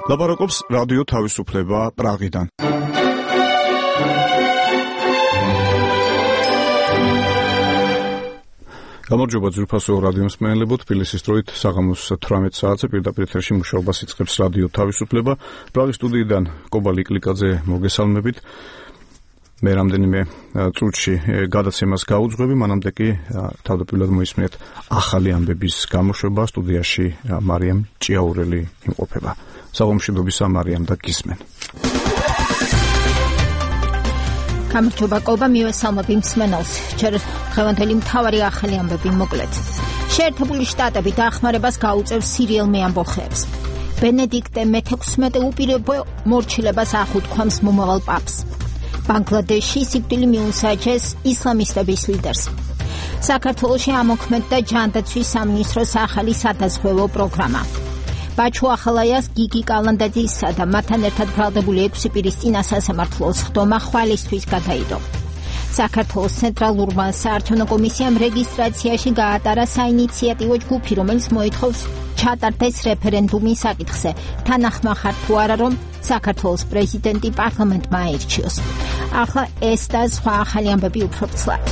ლაპარაკობს რადიო თავისუფლება პრაღიდან. გამარჯობა ძვირფასო რადიო მსმენელებო, თბილისის დროით საღამოს 18 საათზე პირდაპირ ეთერში მუშაობას იწყებს რადიო თავისუფლება. პრაღის სტუდიიდან კობა ლიკლიკაძე მოგესალმებით. მე რამდენიმე წუთში გადაცემას გაუძღვები, მანამდე კი თავდაპირველად მოისმინეთ ახალი ამბების გამოშვება. სტუდიაში მარიამ ჭიაურელი იმყოფება. საღამოშიდობისა მარიამ და გისმენ. გამარჯობა კობა, მივესალმები მსმენელს. ჯერ დღევანდელი მთავარი ახალი ამბები მოკლედ. შეერთებული შტატები დახმარებას გაუწევს სირიელ მეამბოხეებს. ბენედიქტე მე-16 უპირობო მორჩილებას ახუთქვამს მომავალ პაპს. ბანგლადეში სიკვდილი მიუსაჯეს ისლამისტების ლიდერს. საქართველოში ამოქმედდა ჯანდაცვის სამინისტროს ახალი სადაზღვევო პროგრამა. ბაჩუ ახალაიას გიგი კალანდაძისა და მათთან ერთად ბრალდებული 6 პირის წინასასამართლოს ხდომა ხვალისთვის გადაიდო. საქართველოს ცენტრალურმა საარჩევნო კომისიამ რეგისტრაციაში გაატარა საინიციატივო ჯგუფი, რომელიც მოითხოვს ჩატარდეს რეფერენდუმი საკითხზე. თანახმახარ თუ არა, რომ საქართველოს პრეზიდენტი პარლამენტმა აირჩიოს. ახლა ეს და სხვა ახალი ამბები უფრო ცლად.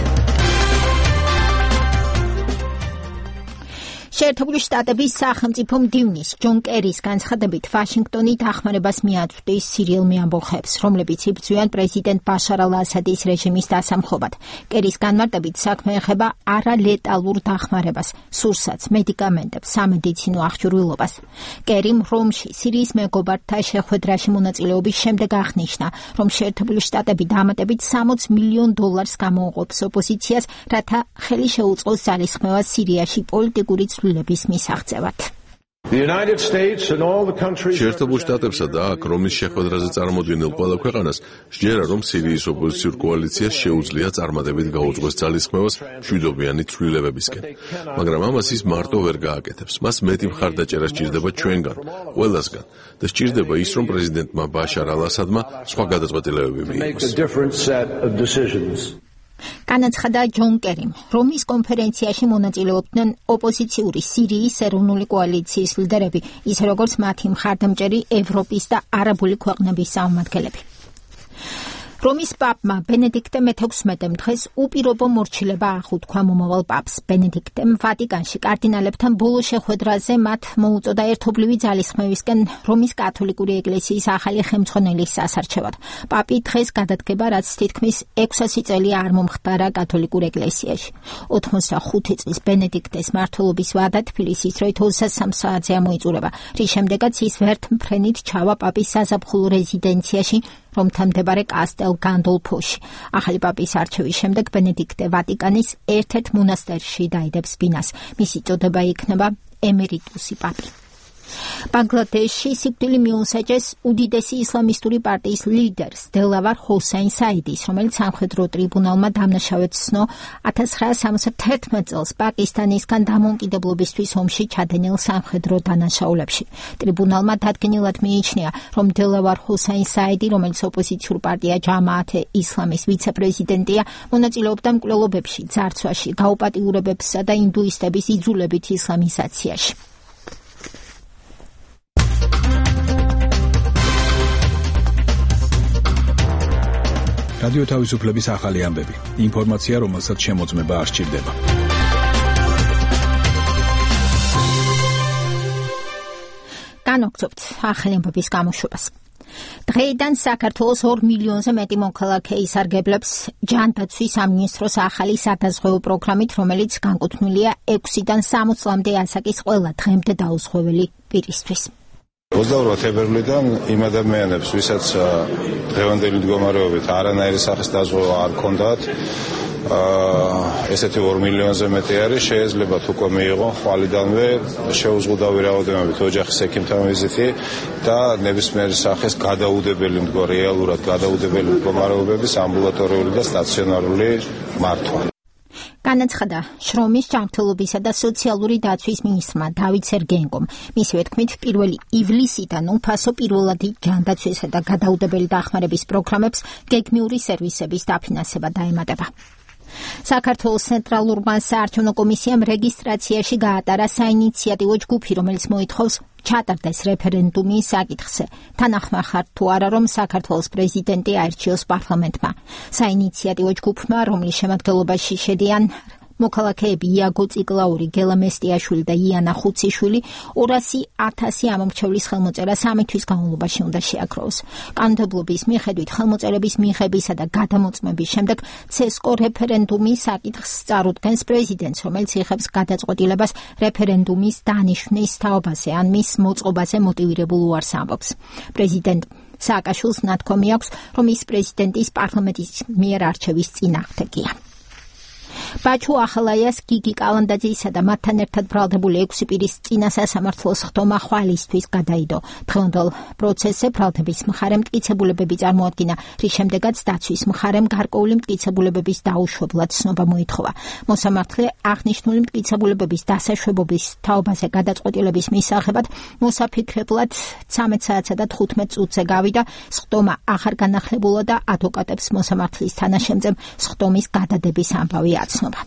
შეერთებული შტატების სახელმწიფო მდივნის ჯონ კერის განცხადებით ვაშინგტონი დახმარებას მიაწვდის სირიელ მეამბოხეებს, რომლებიც იბრძვიან პრეზიდენტ ბაშარ ალ-ასადის რეჟიმის დასამხობად. კერის განმარტებით საქმე ეხება არალეტალურ დახმარებას, სურსათს, მედიკამენტებს, სამედიცინო აღჭურვილობას. კერიმ რომში სირიის მეგობართა შეხვედრაში მონაწილეობის შემდეგ აღნიშნა, რომ შეერთებული შტატები დამატებით $60 მილიონ გამოუყოფს ოპოზიციას, რათა ხელი შეუწყოს ძალისხმევას სირიაში პოლიტიკური ცვლილების მისაღწევად. შეერთებულ შტატებსა და აქ რომის შეხვედრაზე წარმოდგენილ ყველა ქვეყანას სჯერა, რომ სირიის ოპოზიციურ კოალიციას შეუძლია წარმატებით გაუძღვეს ძალისხმევას მშვიდობიანი ცვლილებებისკენ. მაგრამ ამას ის მარტო ვერ გააკეთებს. მას მეტი მხარდაჭერა სჭირდება ჩვენგან, ყველასგან და სჭირდება ის, რომ პრეზიდენტმა ბაშარ ალ-ასადმა სხვა გადაწყვეტილებები მიიღოს. განაცხადა ჯონ კერიმ, რომის კონფერენციაში მონაწილეობდნენ ოპოზიციური სირიის ეროვნული კოალიციის ლიდერები, ისე როგორც მათი მხარდამჭერი ევროპის და არაბული ქვეყნების წარმომადგენლები. რომის პაპმა ბენედიქტე მე-16 დღეს უპირობო მორჩილება ახუთქვა მომავალ პაპს. ბენედიქტემ ვატიკანში კარდინალებთან ბოლო შეხვედრაზე მათ მოუწოდა ერთობლივი ძალისხმევისკენ რომის კათოლიკური ეკლესიის ახალი ხელმძღვანელის სასარჩევად. პაპი დღეს გადადგება, რაც თითქმის 600 წელი არ მომხდარა კათოლიკურ ეკლესიაში. 85 წლის ბენედიქტეს მმართველობის ვადა თბილისის დროით 23 საათზე ამოიწურება, რის შემდეგაც ის ვერთმფრენით ჩავა პაპის საზაფხულო რეზიდენციაში, რომთან მდებარე კასტელ განდოლფოში. ახალი პაპის არჩევის შემდეგ ბენედიქტე ვატიკანის ერთ-ერთ მონასტერში დაიდებს ბინას. მისი წოდება იქნება ემერიტუსი პაპი. ბანგლადეში სიკვდილი მიუსაჯეს უდიდესი ისლამისტური პარტიის ლიდერს დელავარ ჰოსეინ საიდის, რომელიც სამხედრო ტრიბუნალმა დამნაშავედ ცნო 1971 წელს პაკისტანისგან დამოუკიდებლობისთვის ომში ჩადენილ სამხედრო დანაშაულებში. ტრიბუნალმა დადგენილად მიიჩნია, რომ დელავარ ჰოსეინ საიდი, რომელიც ოპოზიციურ პარტია ჯამაათე ისლამის ვიცე-პრეზიდენტია, მონაწილეობდა მკვლელობებში, ძარცვაში, გაუპატიურებებსა და ინდუისტების იძულებით ისლამიზაციაში. რადიო თავისუფლების ახალი ამბები. ინფორმაცია, რომელსაც შემოწმება არ სჭირდება. განვაგრძობთ ახალი ამბების გამოშვებას. დღეიდან საქართველოს 2 მილიონზე მეტი მოქალაქე ისარგებლებს ჯანდაცვის სამინისტროს ახალი სადაზღვევო პროგრამით, რომელიც განკუთვნილია 6-დან 60 წლამდე ასაკის ყველა დღემდე დაუზღვეველი პირისთვის. 28 თებერვლიდან იმ ადამიანებს, ვისაც დღევანდელი მდგომარეობით არანაირი სახის დაზღვევა არ ჰქონდათ, ესეთი 2 მილიონზე მეტი არის, შეეძლებათ უკვე მიიღონ ხვალიდანვე შეუზღუდავი რაოდენობით ოჯახის ექიმთან ვიზიტი და ნებისმიერი სახის რეალურად გადაუდებელი მდგომარეობების ამბულატორიული და სტაციონარული მართვა. განაცხადა შრომის ჯანმრთელობისა და სოციალური დაცვის მინისტრმა დავით სერგეენკომ. მისივე თქმით, 1 ივლისიდან უფასო პირველადი ჯანდაცვისა და გადაუდებელი დახმარების პროგრამებს გეგმიური სერვისების დაფინანსება დაემატება. საქართველოს ცენტრალურმა საარჩევნო კომისიამ რეგისტრაციაში გაატარა საინიციატივო ჯგუფი, რომელიც მოითხოვს ჩატარდეს რეფერენდუმი საკითხზე. თანახმახარ თუ არა, რომ საქართველოს პრეზიდენტი აირჩიოს პარლამენტმა. საინიციატივო ჯგუფმა, რომლის შემადგენლობაში შედიან მოქალაქეები იაგო წიგლაური, გელა მესტიაშვილი და იანა ხუციშვილი, 200,000 ამომრჩევლის ხელმოწერა 3 თვის განმავლობაში უნდა შეაქროს. კანონმდებლობის მიხედვით ხელმოწერების მიღებისა და გადამოწმების შემდეგ ცესკო რეფერენდუმის საკითხს წარუდგენს პრეზიდენტს, რომელიც იღებს გადაწყვეტილებას რეფერენდუმის დანიშვნის თაობაზე ან მის მოწყობაზე მოტივირებულ უარს ამბობს. პრეზიდენტ სააკაშვილს ნათქვამი აქვს, რომ ის პრეზიდენტის პარლამენტის მიერ არჩევის წინააღმდეგია. ბაჩუ ახალაიას, გიგი კალანდაძისა და მათთან ერთად ბრალდებული 6 პირის წინა სასამართლოს ხდომა ხვალისთვის გადაიდო. დღევანდელ პროცესზე ბრალდების მხარემ მტკიცებულებები წარმოადგინა, რის შემდეგაც დაცვის მხარემ გარკვეული მტკიცებულებების დაუშვებლად ცნობა მოითხოვა. მოსამართლე აღნიშნული მტკიცებულებების დასაშვებობის თაობაზე გადაწყვეტილების მისაღებად მოსაფიქრებლად 13 საათსა და 15 წუთზე გავიდა. ხდომა აღარ განახლებულა და ადვოკატებს მოსამართლის თანაშემწემ ხდომის გადადების ამბავი აცნობა.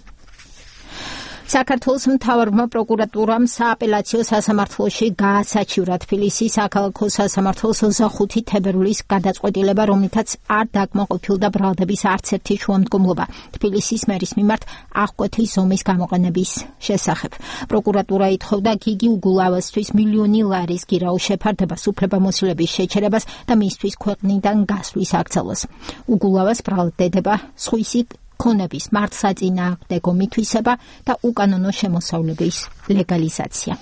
საქართველოს მთავარმა პროკურატურამ სააპელაციო სასამართლოში გაასაჩივრა თბილისის საქალაქო სასამართლოს 25 თებერვლის გადაწყვეტილება, რომლითაც არ დაკმაყოფილდა ბრალდების არც ერთი შუამდგომლობა თბილისის მერის მიმართ აღკვეთი ზომის გამოყენების შესახებ. პროკურატურა ითხოვდა გიგი უგულავასთვის მილიონი ლარის გირაოს შეფარდებას, უფლებამოსილების შეჩერებას და მისთვის ქვეყნიდან გასვლის აკრძალვას. უგულავას ბრალდება სხვისი ქონების მართლსაწინააღმდეგო მითვისება და უკანონო შემოსავლების ლეგალიზაცია.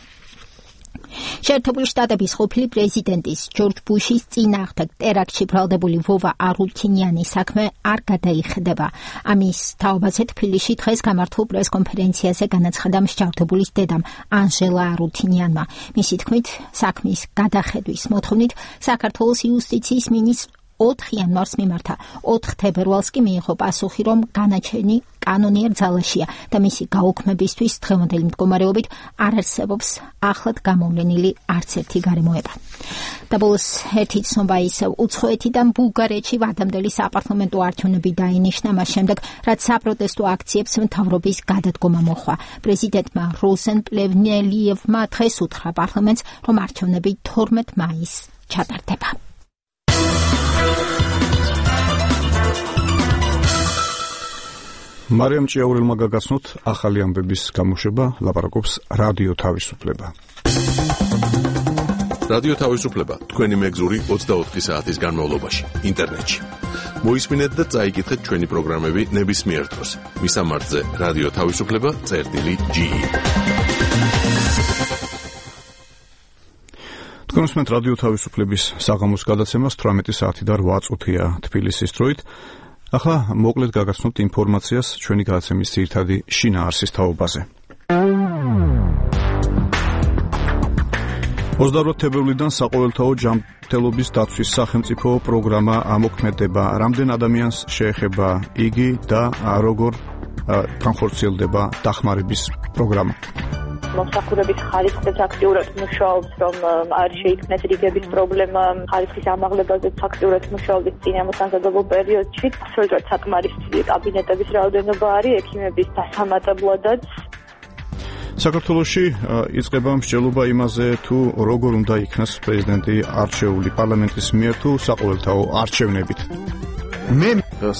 შეერთებული შტატების ყოფილი პრეზიდენტის ჯორჯ ბუშის წინააღმდეგ ტერაქტში ბრალდებული ვოვა არუთინიანის საქმე არ გადაიხდება. ამის თაობაზე თბილისში დღეს გამართულ პრესკონფერენციაზე განაცხადა მსჯავრდებულის დედამ ანჟელა არუთინიანმა. მისი თქმით, საქმის გადახედვის მოთხოვნით საქართველოს იუსტიციის მინისტრ 4 იანვარს მიმართა. 4 თებერვალს კი მიიღო პასუხი, რომ განაჩენი კანონიერ ძალაშია და მისი გაუქმებისთვის დღევანდელი მდგომარეობით არ არსებობს ახლად გამოვლენილი არც ერთი გარემოება. და ბოლოს ერთი ცნობა ისევ უცხოეთიდან ბულგარეთში ვადამდელი საპარლამენტო არჩევნები დაინიშნა მას შემდეგ, რაც საპროტესტო აქციებს მთავრობის გადადგომა მოჰყვა. პრეზიდენტმა როზენ პლევნელიევმა დღეს უთხრა პარლამენტს, რომ არჩევნები 12 მაისს ჩატარდება. მარიამ ჭიაურელმა გაგაცნოთ ახალი ამბების გამოშვება, ლაპარაკობს რადიო თავისუფლება. რადიო თავისუფლება თქვენი მეგზური 24 საათის განმავლობაში ინტერნეტში. მოისმინეთ და წაიკითხეთ ჩვენი პროგრამები ნებისმიერ დროს. მისამართზე რადიო თავისუფლება.ge. თქვენ უსმენთ რადიო თავისუფლების საღამოს გადაცემას 18 საათი და 8 წუთია თბილისის დროით. ახლა მოკლედ გაგაცნობთ ინფორმაციას ჩვენი გადაცემის ძირითადი შინაარსის თაობაზე. 28 თებერვლიდან საყოველთაო ჯანმრთელობის დაცვის სახელმწიფო პროგრამა ამოქმედება. რამდენ ადამიანს შეეხება იგი და როგორ განხორციელდება დახმარების პროგრამა? მომსახურების ხარისხის აქტიურად მუშაობს, რომ არ შეიქმნეს რიგების პრობლემა, ხარისხის ამაღლებაზე აქტიურად მუშაობს წინამოსამზადებლო პერიოდში. სრულიად საკმარისი კაბინეტების რაოდენობა არის ექიმების დასამატებლადაც. საქართველოში იწყება მსჯელობა იმაზე, თუ როგორ უნდა იქნას პრეზიდენტი არჩეული პარლამენტის მიერ თუ საყოველთაო არჩევნებით. მე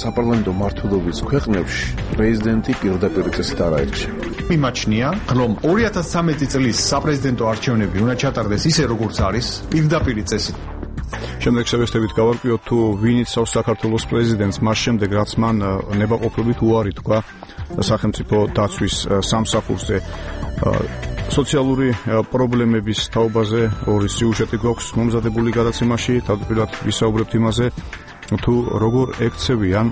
საპარლამენტო მმართველობის ქვეყნებში პრეზიდენტი პირდაპირ წესით არ აირჩევა. მიმაჩნია, რომ 2013 წლის საპრეზიდენტო არჩევნები უნდა ჩატარდეს ისე, როგორც არის, პირდაპირ წესით. შემდეგ შევესწრებით გავარკვიოთ, თუ ვინ იცავს საქართველოს პრეზიდენტს, მას შემდეგ რაც მან ნებაყოფლობით უარი თქვა სახელმწიფო დაცვის სამსახურზე. სოციალური პრობლემების თაობაზე ორი სიუჟეტი გვაქვს მომზადებული გადაცემაში, თავდაპირველად ვისაუბრებთ იმაზე, თუ როგორ ექცევიან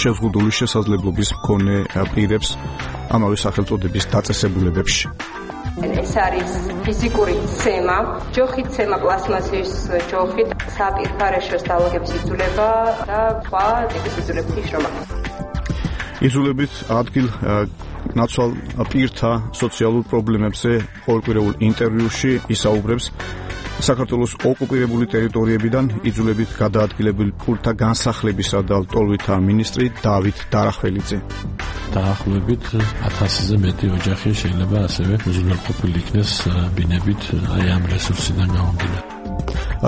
შეზღუდული შესაძლებლობის მქონე პირებს ამავე სახელწოდების დაწესებულებებში. ეს არის ფიზიკური ცემა, ჯოხით ცემა, პლასმასის ჯოხით, საპირფარეშოს დალოგების იძულება და სხვა ტიპის იძულების შრომა. იძულებით ადგილ ნაცვალ პირთა სოციალურ პრობლემებზე ყოველკვირეულ ინტერვიუში ისაუბრებს საქართველოს ოკუპირებული ტერიტორიებიდან იძულებით გადაადგილებული ფულთა განსახლებისა და ლტოლვითა მინისტრი დავით დარახველიძე. დაახლოებით 1000-ზე მეტი ოჯახი შეიძლება ასევე უზრუნველყოფილი იქნეს ბინებით ამ რესურსიდან გამომდინარე.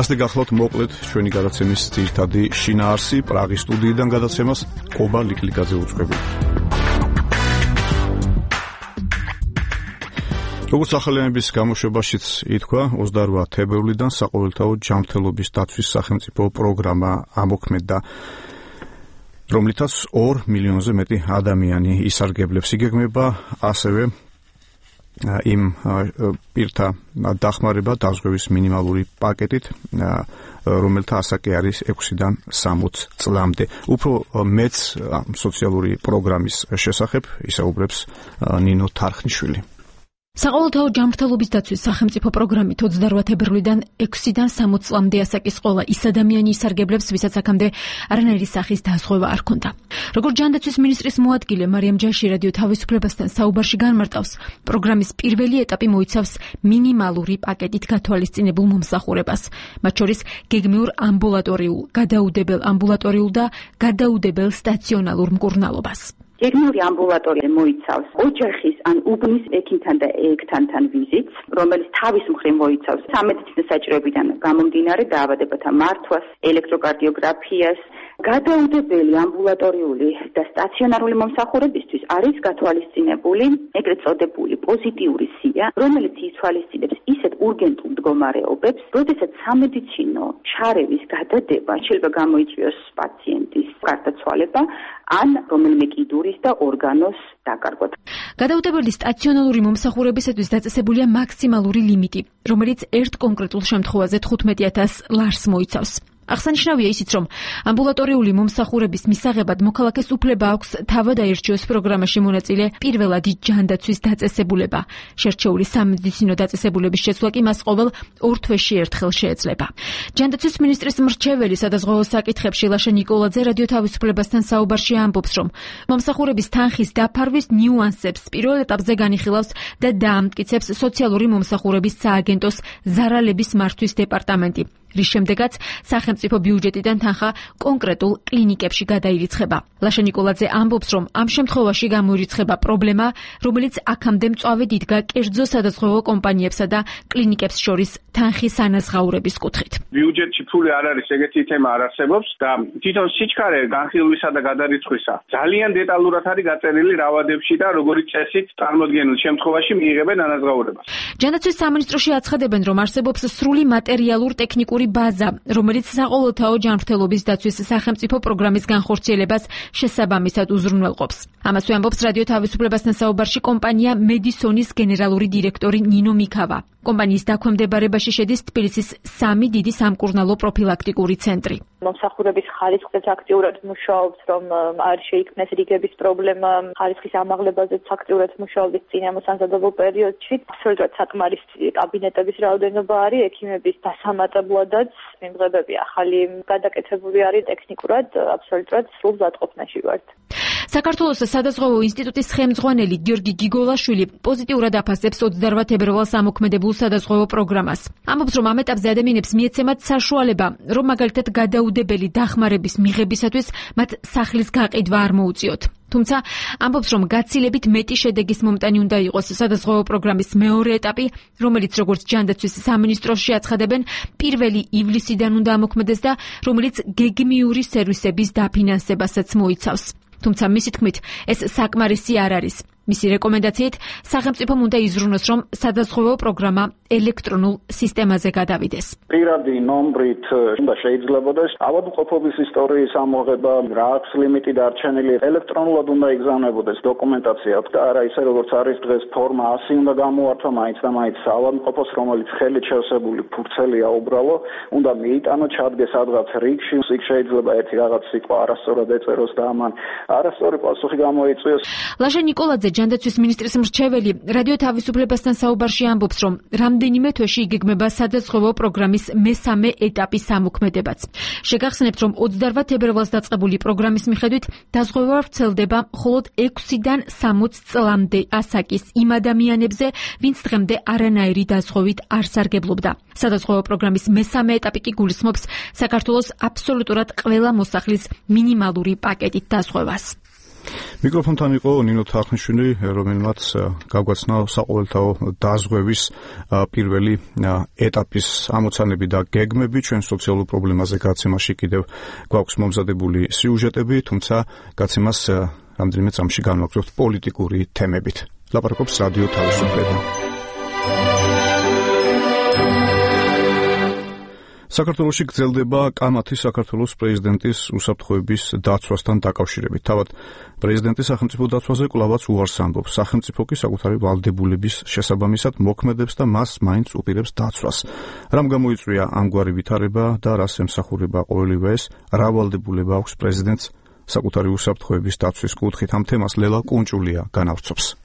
ასე გახლავთ მოკლედ ჩვენი გადაცემის ძირითადი შინაარსი პრაღის სტუდიიდან გადაცემას კობა ლიკლიკაძე უძღვებით. როგორც ახალიანების გამოშვებაშიც ითქვა, 28 თებერვლიდან საყოველთაო ჯანმრთელობის დაცვის სახელმწიფო პროგრამა ამოქმედდა, რომლითაც 2 მილიონზე მეტი ადამიანი ისარგებლებს. იგეგმება ასევე იმ პირთა დახმარება დაზღვევის მინიმალური პაკეტით, რომელთა ასაკი არის 6-დან 60 წლამდე. უფრო მეც სოციალური პროგრამის შესახებ ისაუბრებს ნინო თარხნიშვილი. საყოველთაო ჯანმრთელობის დაცვის სახელმწიფო პროგრამით 28 თებერვლიდან 6-დან 60 წლამდე ასაკის ყველა ის ადამიანი ისარგებლებს, ვისაც აქამდე არანაირი სახის დაზღვევა არ ჰქონდა. როგორც ჯანდაცვის მინისტრის მოადგილე მარიამ ჯაში რადიო თავისუფლებასთან საუბარში განმარტავს, პროგრამის პირველი ეტაპი მოიცავს მინიმალური პაკეტით გათვალისწინებულ მომსახურებას, მათ შორის გეგმიურ ამბულატორიულ, გადაუდებელ ამბულატორიულ და გადაუდებელ სტაციონალურ მკურნალობას. გეგმიური ამბულატორია მოიცავს ოჯახის ან უბნის ექიმთან და ექთანთან ვიზიტს, რომელიც თავის მხრივ მოიცავს სამედიცინო საჭიროებიდან გამომდინარე დაავადებათა მართვას, ელექტროკარდიოგრაფიას. გადაუდებელი ამბულატორიული და სტაციონარული მომსახურებისთვის არის გათვალისწინებული ეგრეთ წოდებული პოზიტიური სია, რომელიც ითვალისწინებს ისეთ ურგენტულ მდგომარეობებს, როდესაც სამედიცინო ჩარევის გადადება შეიძლება გამოიწვიოს პაციენტის გარდაცვალება ან რომელიმე კიდურის და ორგანოს დაკარგვა. გადაუდებელი სტაციონალური მომსახურებისათვის დაწესებულია მაქსიმალური ლიმიტი, რომელიც ერთ კონკრეტულ შემთხვევაზე 15000 ლარს მოიცავს. აღსანიშნავია ისიც, რომ ამბულატორიული მომსახურების მისაღებად მოქალაქეს უფლება აქვს თავად აირჩიოს პროგრამაში მონაწილე პირველადი ჯანდაცვის დაწესებულება. შერჩეული სამედიცინო დაწესებულების შეცვლა კი მას ყოველ 2 თვეში ერთხელ შეეძლება. ჯანდაცვის მინისტრის მრჩეველი სადაზღვევო საკითხებში ლაშა ნიკოლაძე რადიო თავისუფლებასთან საუბარში ამბობს, რომ მომსახურების თანხის დაფარვის ნიუანსებს პირველ ეტაპზე განიხილავს და დაამტკიცებს სოციალური მომსახურების სააგენტოს ზარალების მართვის დეპარტამენტი, რის შემდეგაც სახელმწიფო ბიუჯეტიდან თანხა კონკრეტულ კლინიკებში გადაირიცხება. ლაშა ნიკოლაძე ამბობს, რომ ამ შემთხვევაში გამოირიცხება პრობლემა, რომელიც აქამდე მწვავედ იდგა კერძო სადაზღვევო კომპანიებსა და კლინიკებს შორის თანხის ანაზღაურების კუთხით. ბიუჯეტში ფული არ არის, ეგეთი თემა არ არსებობს და თვითონ სიჩქარე განხილვისა და გადარიცხვისა ძალიან დეტალურად არის გაწერილი რა ვადებში და როგორი წესით წარმოდგენილ შემთხვევაში მიიღებენ ანაზღაურებას. ჯანდაცვის სამინისტროში აცხადებენ, რომ არსებობს სრული მატერიალურ ტექნიკური ბაზა, რომელიც საყოველთაო ჯანმრთელობის დაცვის სახელმწიფო პროგრამის განხორციელებას შესაბამისად უზრუნველყოფს. ამასვე ამბობს რადიო თავისუფლებასთან საუბარში კომპანია მედისონის გენერალური დირექტორი ნინო მიქავა. კომპანიის დაქვემდებარებაში შედის თბილისის 3 დიდი სამკურნალო პროფილაქტიკური ცენტრი. მომსახურების ხარისხზეც აქტიურად მუშაობს, რომ არ შეიქმნეს რიგების პრობლემა, ხარისხის ამაღლებაზეც აქტიურად მუშაობს წინამოსამზადებლო პერიოდში. აბსოლუტურად საკმარისი კაბინეტების რაოდენობა არის, ექიმების დასამატებლადაც მიმღებები ახალი გადაკეთებული არის ტექნიკურად, აბსოლუტურად სრულ ზადყოფნაში ვართ. საქართველოს სადაზღვევო ინსტიტუტის ხელმძღვანელი გიორგი გიგოლაშვილი პოზიტიურად აფასებს 28 თებერვალს ამოქმედებულ სადაზღვევო პროგრამას. ამბობს, რომ ამ ეტაპზე ადამიანებს მიეცემათ საშუალება, რომ მაგალითად გადაუდებელი დახმარების მიღებისათვის მათ სახლის გაყიდვა არ მოუწიოთ. თუმცა ამბობს, რომ გაცილებით მეტი შედეგის მომტანი უნდა იყოს სადაზღვევო პროგრამის მეორე ეტაპი, რომელიც როგორც ჯანდაცვის სამინისტროში აცხადებენ, 1 ივლისიდან უნდა ამოქმედეს და რომელიც გეგმიური სერვისების დაფინანსებასაც მოიცავს. თუმცა მისი თქმით, ეს საკმარისი არ არის. მისი რეკომენდაციით სახელმწიფომ უნდა იზრუნოს, რომ სადაზღვევო პროგრამა ელექტრონულ სისტემაზე გადავიდეს. პირადი ნომრით უნდა შეიძლებოდეს ავადმყოფობის ისტორიის ამოღება, რა აქვს ლიმიტი დარჩენილი, ელექტრონულად უნდა იგზავნებოდეს დოკუმენტაცია და არა ისე როგორც არის დღეს ფორმა 100 უნდა გამოართვა მაინც და მაინც ავადმყოფოს, რომელიც ხელით შევსებული ფურცელია უბრალო, უნდა მიიტანო, ჩადგეს სადღაც რიგში, იქ შეიძლება ერთი რაღაც სიტყვა არასწორად ეწეროს და ამან არასწორი პასუხი გამოიწვიოს. ლაშა ნიკოლაძე ჯანდაცვის მინისტრის მრჩეველი რადიო თავისუფლებასთან საუბარში ამბობს, რომ რამდენიმე თვეში იგეგმება სადაზღვევო პროგრამის მესამე ეტაპის ამოქმედებაც. შეგახსენებთ, რომ 28 თებერვალს დაწყებული პროგრამის მიხედვით დაზღვევა ვრცელდება მხოლოდ 6-დან 60 წლამდე ასაკის იმ ადამიანებზე, ვინც დღემდე არანაირი დაზღვევით არ სარგებლობდა. სადაზღვევო პროგრამის მესამე ეტაპი კი გულისხმობს საქართველოს აბსოლუტურად ყველა მოსახლის მინიმალური პაკეტით დაზღვევას. მიკროფონთან იყო ნინო თახნიშვილი, რომელმაც გაგვაცნა საყოველთაო დაზღვევის პირველი ეტაპის ამოცანები და გეგმები. ჩვენ სოციალურ პრობლემაზე გაცემაში კიდევ გვაქვს მომზადებული სიუჟეტები, თუმცა გაცემას რამდენიმე წამში განვაგრძობთ პოლიტიკური თემებით. ლაპარაკობს რადიო თავისუფლება. საქართველოში გრძელდება კამათი საქართველოს პრეზიდენტის უსაფრთხოების დაცვასთან დაკავშირებით. თავად პრეზიდენტი სახელმწიფო დაცვაზე კვლავაც უარს ამბობს. სახელმწიფო კი საკუთარი ვალდებულების შესაბამისად მოქმედებს და მას მაინც უპირებს დაცვას. რამ გამოიწვია ამგვარი ვითარება და რას ემსახურება ყოველივე ეს? რა ვალდებულება აქვს პრეზიდენტს საკუთარი უსაფრთხოების დაცვის კუთხით? ამ თემას ლელა კუნჭულია განავრცობს.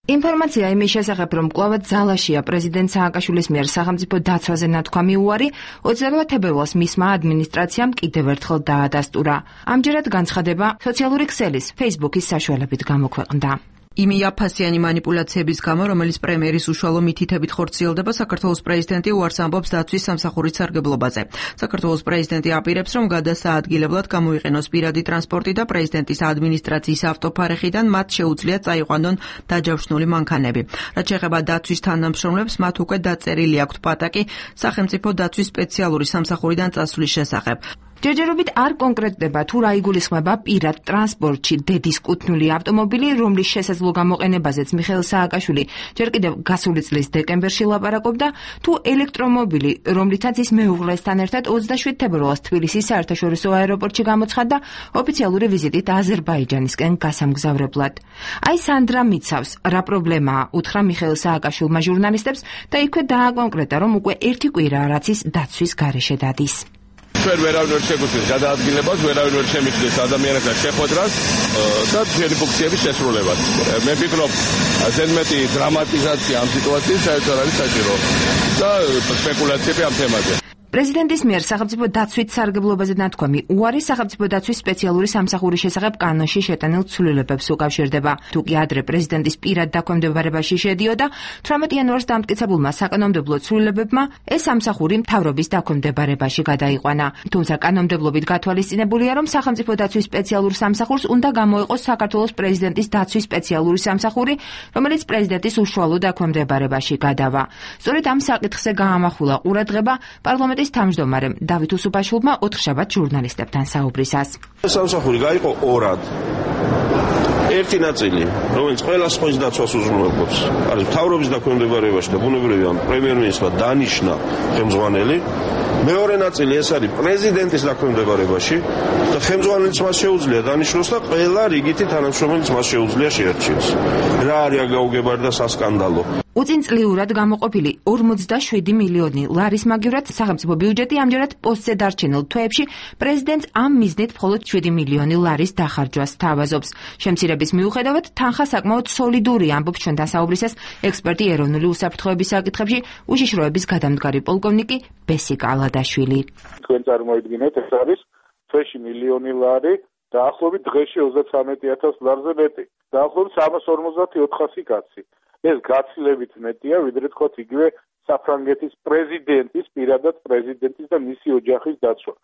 ინფორმაცია იმის შესახებ, რომ კვლავაც ძალაშია პრეზიდენტ სააკაშვილის მიერ სახელმწიფო დაცვაზე ნათქვამი უარი, 28 თებერვალს მისმა ადმინისტრაციამ კიდევ ერთხელ დაადასტურა. ამჯერად განცხადება სოციალური ქსელის Facebook-ის საშუალებით გამოქვეყნდა. იმი აფასიანი манипуляციების გამო, რომელიც პრემიერის უშუალო მითითებით ხორციელდება, საქართველოს პრეზიდენტი უარს ამბობს დაცვის სამსახურის სარგებლობაზე. საქართველოს პრეზიდენტი აპირებს, რომ გადასაადგილებლად გამოიყენოს პირადი ტრანსპორტი და პრეზიდენტის ადმინისტრაციის ავტოფარეხიდან მათ შეუძლიათ წაიყვანონ დაჯავშნული მანქანები. რაც შეეხება დაცვის თანამშრომლებს, მათ უკვე დაწერილი აქვთ პატაკი სახელმწიფო დაცვის სპეციალური სამსახურიდან წასვლის შესახებ. ჯერჯერობით არ კონკრეტდება თუ რა იგულისხმება პირად ტრანსპორტში დედის კუთვნილი ავტომობილი, რომლის შესაძლო გამოყენებაზეც მიხეილ სააკაშვილი ჯერ კიდევ გასული წლის დეკემბერში ლაპარაკობდა, თუ ელექტრომობილი, რომლითაც ის მეუღლესთან ერთად 27 თებერვალს თბილისის საერთაშორისო აეროპორტში გამოცხადდა ოფიციალური ვიზიტით აზერბაიჯანისკენ გასამგზავრებლად. აი სანდრა მიცავს, რა პრობლემაა, უთხრა მიხეილ სააკაშვილმა ჟურნალისტებს და იქვე დააკონკრეტა, რომ უკვე 1 კვირაა რაც ის დაცვის გარეშე დადის. ჩვენ ვერავინ ვერ შეგვიძლია გადაადგილებას, ვერავინ ვერ შემიძლია ადამიანებთან შეხვედრას და ძველი ფუნქციების შესრულებას. მე ვფიქრობ, ზედმეტი დრამატიზაცია ამ სიტუაციის საერთოდ არის საჭირო და სპეკულაციები ამ თემაზე. პრეზიდენტის მიერ სახელმწიფო დაცვით სარგებლობაზე ნათქვამი უარი სახელმწიფო დაცვის სპეციალური სამსახურის შესახებ კანონში შეტანილ ცვლილებებს უკავშირდება. თუკი ადრე პრეზიდენტის პირად დაქვემდებარებაში შედიოდა, 18 იანვარს დამტკიცებულმა საკანონმდებლო ცვლილებებმა ეს სამსახური მთავრობის დაქვემდებარებაში გადაიყვანა. თუმცა კანონმდებლობით გათვალისწინებულია, რომ სახელმწიფო დაცვის სპეციალურ სამსახურს უნდა გამოეყოს საქართველოს პრეზიდენტის დაცვის სპეციალური სამსახური, რომელიც პრეზიდენტის უშუალო დაქვემდებარებაში გადავა. სწორედ ამ საკითხზე გაამახვილა ყურადღება პარლამენტის თავმჯდომარემ დავით უსუბაშვილმა ოთხშაბათ ჟურნალისტებთან საუბრისას. სამსახური გაიყო ორად. ერთი ნაწილი, რომელიც ყველა სხვის დაცვას უზრუნველყოფს, არის მთავრობის დაქვემდებარებაში და ბუნებრივია პრემიერ-მინისტრმა დანიშნა ხელმძღვანელი. მეორე ნაწილი ეს არის პრეზიდენტის დაქვემდებარებაში და ხელმძღვანელს მას შეუძლია დანიშნოს და ყველა რიგითი თანამშრომელს მას შეუძლია შეერჩიოს. რა არის გაუგებარი და სასკანდალო. უწინწლიურად გამოყოფილი 47 მილიონი ლარის მაგივრად სახელმწიფო ბიუჯეტი ამჯერად პოსტზე დარჩენილ თვეებში პრეზიდენტს ამ მიზნით მხოლოდ 7 მილიონი ლარის დახარჯვას თავაზობს. შემცირების მიუხედავად თანხა საკმაოდ სოლიდურია, ამბობს ჩვენთან საუბრისას ექსპერტი ეროვნული უსაფრთხოების საკითხებში უშიშროების გადამდგარი პოლკოვნიკი ბესიკ ალადაშვილი. თქვენ წარმოიდგინეთ, ეს არის თვეში მილიონი ლარი, დაახლოებით დღეში 33,000 ლარზე მეტი. დაახლოებით 350-400 კაცი. ეს გაცილებით მეტია, ვიდრე თქვათ იგივე საფრანგეთის პრეზიდენტის, პირადად პრეზიდენტის და მისი ოჯახის დაცვა.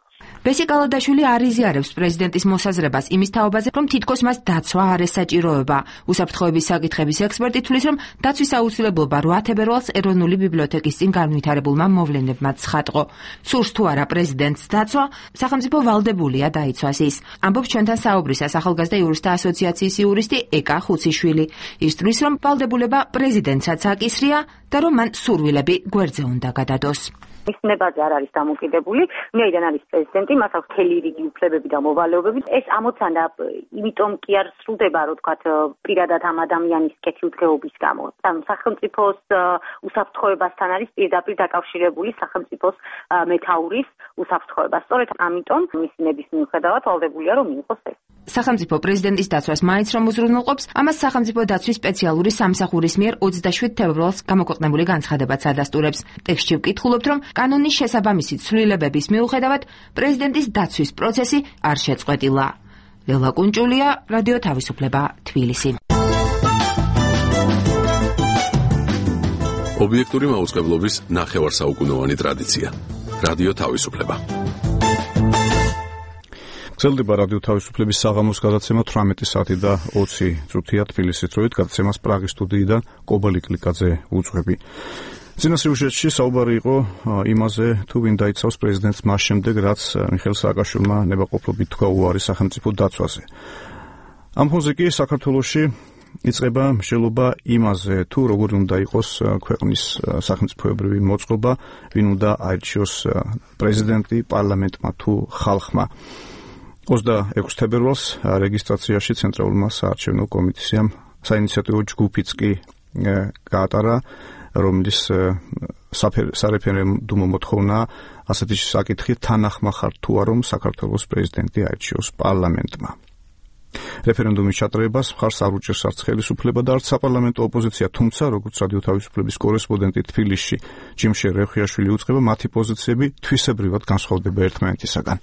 ბესიკ ალადაშვილი არ იზიარებს პრეზიდენტის მოსაზრებას იმის თაობაზე, რომ თითქოს მას დაცვა არ ესაჭიროება. უსაფრთხოების საკითხების ექსპერტი თვლის, რომ დაცვის აუცილებლობა 8 თებერვალს ეროვნული ბიბლიოთეკის წინ განვითარებულმა მოვლენებმა ცხადყო. სურს თუ არა პრეზიდენტს დაცვა, სახელმწიფო ვალდებულია დაიცვას ის. ამბობს ჩვენთან საუბრისას ახალგაზრდა იურისტთა ასოციაციის იურისტი ეკა ხუციშვილი. ის თვლის, რომ ვალდებულება პრეზიდენტსაც აკისრია და რომ მან სურვილები გვერდზე უნდა გადადოს. მის ნებაზე არ არის დამოკიდებული, ვინაიდან არის პრეზიდენტი, მას აქვს მთელი რიგი უფლებები და მოვალეობები. ეს ამოცანა იმიტომ კი არ სრულდება, რომ თქვათ, პირადად ამ ადამიანის კეთილდღეობის გამო. ანუ სახელმწიფოს უსაფრთხოებასთან არის პირდაპირ დაკავშირებული სახელმწიფოს მეთაურის უსაფრთხოება. სწორედ ამიტომ მისი ნების მიუხედავად ვალდებულია, რომ მიიღოს ეს. სახელმწიფო პრეზიდენტის დაცვას მაინც რომ უზრუნველყოფს, ამას სახელმწიფო დაცვის სპეციალური სამსახურის მიერ 27 თებერვალს გამოქვეყნებული განცხადებაც ადასტურებს. ტექსტში ვკითხულობთ, რომ კანონის შესაბამისი ცვლილებების მიუხედავად პრეზიდენტის დაცვის პროცესი არ შეწყვეტილა. ლელა კუნჭულია, რადიო თავისუფლება, თბილისი. ობიექტური მაუწყებლობის ნახევარსაუკუნოვანი ტრადიცია. რადიო თავისუფლება. გრძელდება რადიო თავისუფლების საღამოს გადაცემა 18 საათი და 20 წუთია თბილისის დროით. გადაცემას პრაღის სტუდიიდან კობა ლიკლიკაძე უძღვები. წინა სიუჟეტში საუბარი იყო იმაზე, თუ ვინ დაიცავს პრეზიდენტს მას შემდეგ, რაც მიხეილ სააკაშვილმა ნებაყოფლობით თქვა უარი სახელმწიფო დაცვაზე. ამ ფონზე კი საქართველოში იწყება მსჯელობა იმაზე, თუ როგორი უნდა იყოს ქვეყნის სახელმწიფოებრივი მოწყობა, ვინ უნდა აირჩიოს პრეზიდენტი, პარლამენტმა თუ ხალხმა. 26 თებერვალს რეგისტრაციაში ცენტრალურმა საარჩევნო კომისიამ საინიციატივო ჯგუფიც კი გაატარა, რომლის სარეფერენდუმო მოთხოვნა ასეთი საკითხი თანახმა ხარ თუ არა, რომ საქართველოს პრეზიდენტი აირჩიოს პარლამენტმა. რეფერენდუმის ჩატარებას მხარს არ უჭერს არც ხელისუფლება და არც საპარლამენტო ოპოზიცია, თუმცა როგორც რადიო თავისუფლების კორესპონდენტი თბილისში ჯიმშე რევხიაშვილი უწყება, მათი პოზიციები თვისებრივად განსხვავდება ერთმანეთისაგან.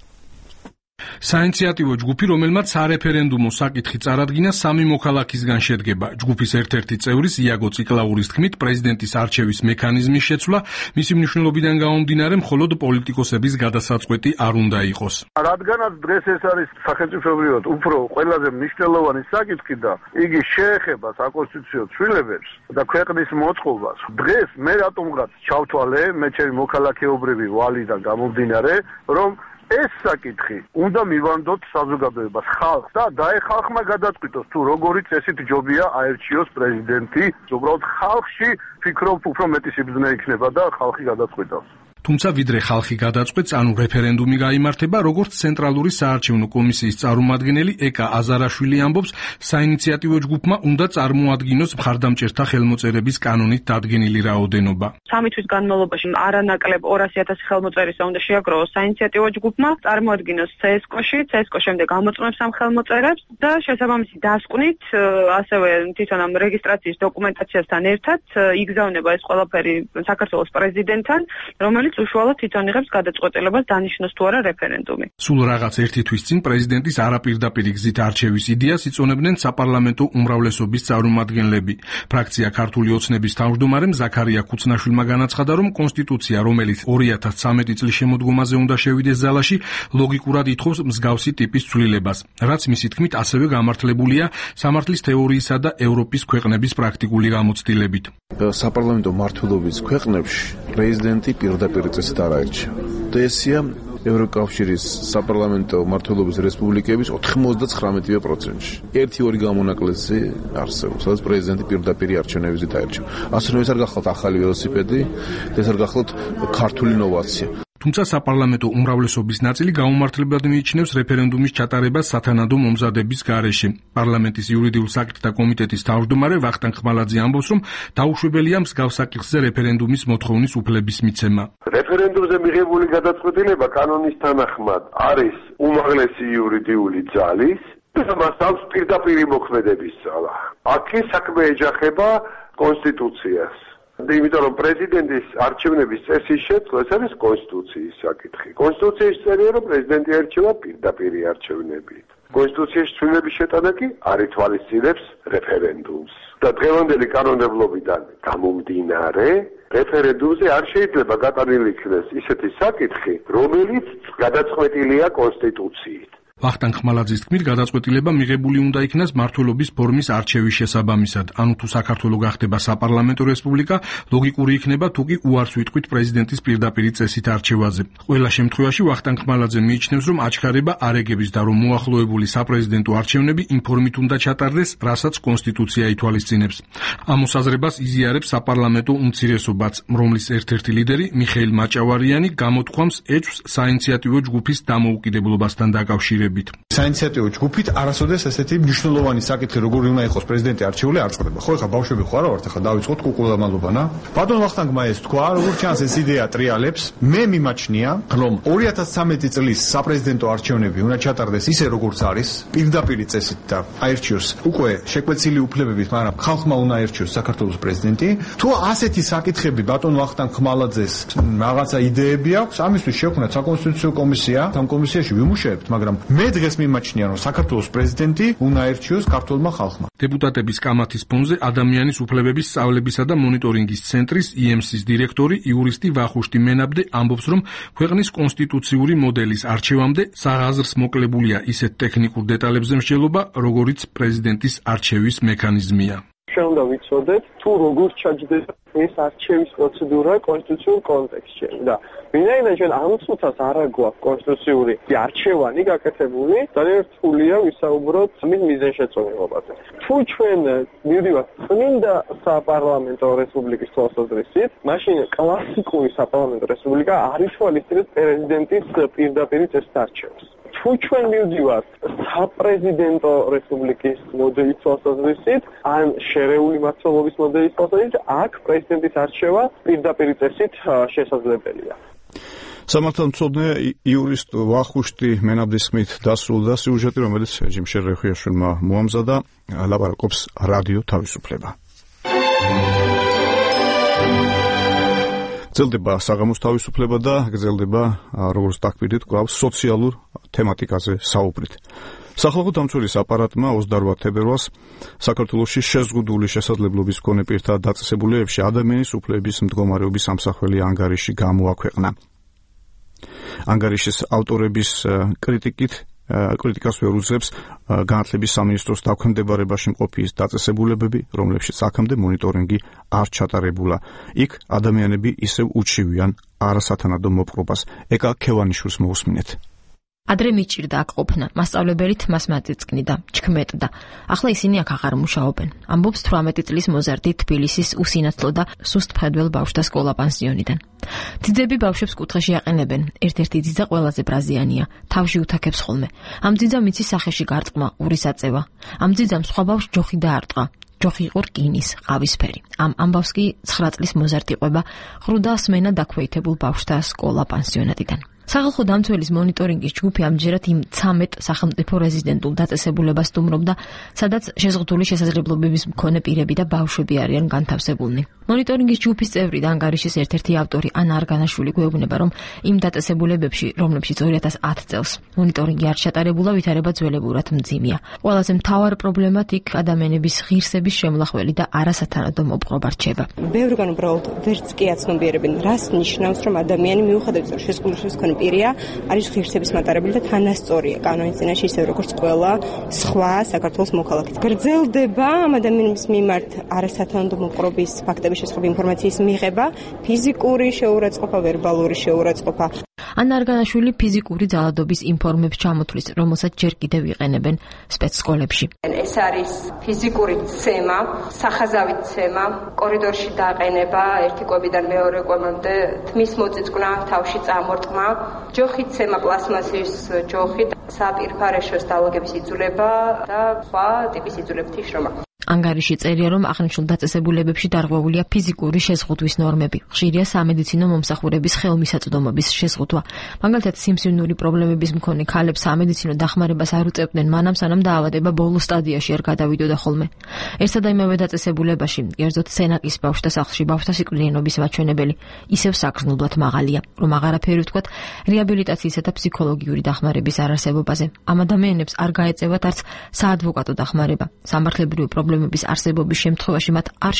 საინიციატივო ჯგუფი, რომელმაც სარეფერენდუმო საკითხი წარადგინა, 3 მოქალაქისგან შედგება. ჯგუფის ერთ-ერთი წევრის იაგო ციკლაურის თქმით, პრეზიდენტის არჩევის მექანიზმის შეცვლა მისი მნიშვნელობიდან გამომდინარე მხოლოდ პოლიტიკოსების გადასაწყვეტი არ უნდა იყოს. რადგანაც დღეს ეს არის სახელმწიფოებრივად უფრო ყველაზე მნიშვნელოვანი საკითხი და იგი შეეხება საკონსტიტუციო ცვლილებებს და ქვეყნის მოწყობას, დღეს მე რატომღაც ჩავთვალე მე ჩემი მოქალაქეობრივი ვალიდან გამომდინარე, რომ ეს საკითხი უნდა მივანდოთ საზოგადოებას, ხალხს და ხალხმა გადაწყვიტოს, თუ როგორი წესით ჯობია აერჩიოს პრეზიდენტი. უბრალოდ ხალხში ფიქრობ, უფრო მეტი სიბრძნე იქნება და ხალხი გადაწყვიტოს. თუმცა ვიდრე ხალხი გადაწყვეტს, ანუ რეფერენდუმი გაიმართება, როგორც ცენტრალური საარჩევნო კომისიის წარმომადგენელი ეკა აზარაშვილი ამბობს, საინიციატივო ჯგუფმა უნდა წარმოადგინოს მხარდამჭერთა ხელმოწერების კანონით დადგენილი რაოდენობა. 3 თვის განმავლობაში არანაკლებ 200,000 ხელმოწერისა უნდა შეაგროვოს საინიციატივო ჯგუფმა, წარმოადგინოს CSKO-ში, CSKO შემდეგ ამოწმებს ამ ხელმოწერებს და შესაბამისი დასკვნით, ასევე თვითონ ამ რეგისტრაციის დოკუმენტაციასთან ერთად იგზავნება ეს ყველაფერი საქართველოს პრეზიდენტთან, რომელიც უშუალოდ თვითონ იღებს გადაწყვეტილებას დანიშნოს თუ არა რეფერენდუმი. სულ რაღაც 1 თვის წინ პრეზიდენტის არაპირდაპირ გზით არჩევის იდეას იწონებდნენ საპარლამენტო უმრავლესობის წარმომადგენლები. ფრაქცია ქართული ოცნების თავმჯდომარემ ზაქარია ქუცნაშვილმა განაცხადა, რომ კონსტიტუცია, რომელიც 2013 წლის შემოდგომაზე უნდა შევიდეს ზალაში, ლოგიკურად ითხოვს მსგავსი ტიპის ცვლილებას, რაც მისი თქმით ასევე გამართლებულია სამართლის თეორიისა და ევროპის ქვეყნების პრაქტიკული გამოცდილებით. საპარლამენტო მმართველობის ქვეყნებში პრეზიდენტი პირდაპირ წესით არ აირჩევა. და ესია ევროკავშირის საპარლამენტო მმართველობის რესპუბლიკების 99%-ში. 1-2 გამონაკლისი არსებობს, სადაც პრეზიდენტი პირდაპირ არჩევნებზით აირჩევა. ასე რომ ეს არ გახლავთ ახალი ველოსიპედი, ეს არ გახლავთ ქართული ინოვაცია. თუმცა საპარლამენტო უმრავლესობის ნაწილი გაუმართლებლად მიიჩნევს რეფერენდუმის ჩატარებას სათანადო მომზადების გარეშე. პარლამენტის იურიდიულ საკითხთა კომიტეტის თავმჯდომარე ვახტანგ ხმალაძე ამბობს, რომ დაუშვებელია მსგავს საკითხზე რეფერენდუმის მოთხოვნის უფლების მიცემა. რეფერენდუმზე მიღებული გადაწყვეტილება კანონის თანახმად არის უმაღლესი იურიდიული ძალის და მას აქვს პირდაპირი მოქმედების ძალა. აქ საქმე ეჯახება კონსტიტუციას. იმიტომ რომ პრეზიდენტის არჩევნების წესის შეცვლა ეს არის კონსტიტუციის საკითხი. კონსტიტუციის წერია, რომ პრეზიდენტი არჩევა პირდაპირი არჩევნებით. კონსტიტუციის ცვლილების შეტანა კი არ ითვალისწინებს რეფერენდუმს. და დღევანდელი კანონმდებლობიდან გამომდინარე, რეფერენდუმზე არ შეიძლება გატანილი იქნეს ისეთი საკითხი, რომელიც გადაწყვეტილია კონსტიტუციით. ვახტანგ ხმალაძის თქმით, გადაწყვეტილება მიღებული უნდა იქნას მმართველობის ფორმის არჩევის შესაბამისად, ანუ თუ საქართველო გახდება საპარლამენტო რესპუბლიკა, ლოგიკური იქნება თუ კი უარს ვიტყვით პრეზიდენტის პირდაპირი წესით არჩევაზე. ყველა შემთხვევაში ვახტანგ ხმალაძე მიიჩნევს, რომ აჩქარება არ ეგების და რომ მოახლოებული საპრეზიდენტო არჩევნები იმ ფორმით უნდა ჩატარდეს, რასაც კონსტიტუცია ითვალისწინებს. ამ მოსაზრებას იზიარებს საპარლამენტო უმცირესობაც, რომლის ერთ-ერთი ლიდერი მიხეილ მაჭავარიანი გამოთქვამს ეჭვს საინიციატივო ჯგუფის დამოუკიდებლობასთან დაკავშირებით. საინიციატივო ჯგუფით არასოდეს ესეთი მნიშვნელოვანი საკითხი როგორი უნდა იყოს პრეზიდენტი არჩეული არ წყდება. ხო, ეხლა ბავშვები ხო არა ვართ, ეხლა დავიწყოთ კუკულამალობანა. ბატონ ვახტანგმა ეს თქვა, როგორც ჩანს ეს იდეა ტრიალებს. მე მიმაჩნია, რომ 2013 წლის საპრეზიდენტო არჩევნები უნდა ჩატარდეს ისე როგორც არის, პირდაპირი წესით და აირჩიოს უკვე შეკვეცილი უფლებებით, მაგრამ ხალხმა უნდა აირჩიოს საქართველოს პრეზიდენტი. თუ ასეთი საკითხები ბატონ ვახტანგ ხმალაძეს რაღაცა იდეები აქვს, ამისთვის შექმნათ საკონსტიტუციო კომისია, ამ კომისიაში ვიმუშაებთ, მაგრამ მე დღეს მიმაჩნია, რომ საქართველოს პრეზიდენტი უნდა აირჩიოს ქართულმა ხალხმა. დეპუტატების კამათის ფონზე ადამიანის უფლებების სწავლებისა და მონიტორინგის ცენტრის IEMS-ის დირექტორი იურისტი ვახუშტი მენაბდე ამბობს, რომ ქვეყნის კონსტიტუციური მოდელის არჩევამდე საღაზრს მოკლებულია ისეთ ტექნიკურ დეტალებზე მსჯელობა, როგორიც პრეზიდენტის არჩევის მექანიზმია. ჩვენ უნდა ვიცოდეთ, თუ როგორ ჩაჯდება ეს არჩევის პროცედურა კონსტიტუციურ კონტექსტში და ვინაიდან ჩვენ ამ წუთას არ გვაქვს კონსტიტუციური არჩევანი გაკეთებული, ძალიან რთულია ვისაუბროთ მის მიზანშეწონილობაზე. თუ ჩვენ მივდივართ წმინდა საპარლამენტო რესპუბლიკის თვალსაზრისით, მაშინ კლასიკური საპარლამენტო რესპუბლიკა არ ითვალისწინებს პრეზიდენტის პირდაპირი წესით არჩევას. თუ ჩვენ მივდივართ საპრეზიდენტო რესპუბლიკის მოდელის თვალსაზრისით, ან შერეული მმართველობის მოდელის თვალსაზრისით, აქ პრეზიდენტის არჩევა პირდაპირი წესით შესაძლებელია. სამართალმცოდნე იურისტ ვახუშტი მენაბდის ხმით დასრულდა სიუჟეტი, რომელიც ჯიმ შერეხიაშვილმა მოამზადა, ლაპარაკობს რადიო თავისუფლება. გრძელდება საღამოს თავისუფლება და გრძელდება, როგორც დაგკვირდით, კვლავ სოციალურ თემატიკაზე საუბრით. სახალხო დამცველის აპარატმა 28 თებერვალს საქართველოში შეზღუდული შესაძლებლობის მქონე პირთა დაწესებულებებში ადამიანის უფლებების მდგომარეობის სამსახველი ანგარიში გამოაქვეყნა. ანგარიშის ავტორების კრიტიკას ვერ უძღებს განათლების სამინისტროს დაქვემდებარებაში მყოფი დაწესებულებები, რომლებშიც აქამდე მონიტორინგი არ ჩატარებულა. იქ ადამიანები ისევ უჩივიან არასათანადო მოპყრობას. ეკა ქევანიშვილს მოусმინეთ. ადრე მიჭირდა აქ ყოფნა, მასწავლებელი თმას მაწიწკნიდა, ჩქმეტდა. ახლა ისინი აქ აღარ მუშაობენ. ამბობს 18 წლის მოზარდი თბილისის უსინათლო და სუსტ მხედველ ბავშვთა სკოლა პანსიონიდან. ძიძები ბავშვებს კუთხეში აყენებენ. ერთ-ერთი ძიძა ყველაზე ბრაზიანია, თავში უთაქებს ხოლმე. ამ ძიძამ იცის სახეში გარტყმა, ურის აწევა. ამ ძიძამ სხვა ბავშვს ჯოხი დაარტყა. ჯოხი იყო რკინის, ყავისფერი. ამ ამბავს კი 9 წლის მოზარდი ყვება, ხრუდა სმენა დაქვეითებულ ბავშვთა სკოლა პანსიონატიდან. სახალხო დამცველის მონიტორინგის ჯგუფი ამჯერად იმ 13 სახელმწიფო რეზიდენტულ დაწესებულებას სტუმრობდა, სადაც შეზღუდული შესაძლებლობების მქონე პირები და ბავშვები არიან განთავსებულნი. მონიტორინგის ჯგუფის წევრი და ანგარიშის ერთ-ერთი ავტორი ანა არგანაშვილი გვეუბნება, რომ იმ დაწესებულებებში, რომლებშიც 2010 წელს მონიტორინგი არ ჩატარებულა, ვითარება ძველებურად მძიმეა. ყველაზე მთავარ პრობლემად იქ ადამიანების ღირსების შემლახველი და არასათანადო მოპყრობა რჩება. ბევრგან უბრალოდ ვერც კი აცნობიერებენ, რას ნიშნავს, რომ ადამიანი მიუხედავად შეზღუდულობის მქონე პირია, არის ღირსების მატარებელი და თანასწორია კანონის წინაშე, ისე როგორც ყველა სხვა საქართველოს მოქალაქე. გრძელდება ამ ადამიანების მიმართ არასათანადო მოპყრობის ფაქტების შესახებ ინფორმაციის მიღება, ფიზიკური შეურაცხყოფა, ვერბალური შეურაცხყოფა. ანა არგანაშვილი ფიზიკური ძალადობის ინფორმებს ჩამოთვლის, რომელსაც ჯერ კიდევ იყენებენ სპეცსკოლებში. ეს არის ფიზიკური ცემა, სახაზავით ცემა, კორიდორში დაყენება, ერთი კვებიდან მეორე კვებამდე, თმის მოწიწკნა, თავში წამორტყმა, ჯოხით ცემა, პლასმასის ჯოხით, საპირფარეშოს დალოგების იძულება და სხვა ტიპის იძულებითი შრომა. ანგარიში წერია, რომ აღნიშნულ დაწესებულებებში დარღვეულია ფიზიკური შეზღუდვის ნორმები. ხშირია სამედიცინო მომსახურების ხელმისაწვდომობის შეზღუდვა. მაგალითად, სიმსივნური პრობლემების მქონე ქალებს სამედიცინო დახმარებას არ უწევდნენ მანამ, სანამ დაავადება ბოლო სტადიაში არ გადავიდოდა ხოლმე. ერთსა და იმავე დაწესებულებაში, კერძოდ სენაკის ბავშვთა სახლში ბავშვთა სიკვდილიანობის მაჩვენებელი ისევ საგრძნობლად მაღალია, რომ აღარაფერი ვთქვათ რეაბილიტაციისა და ფსიქოლოგიური დახმარების არარსებობაზე. ამ ადამიანებს არ გაეწევათ არც საადვოკატო დახმარება. სამართლებრივი პრობლემების არსებობის შემთხვევაში მათ არ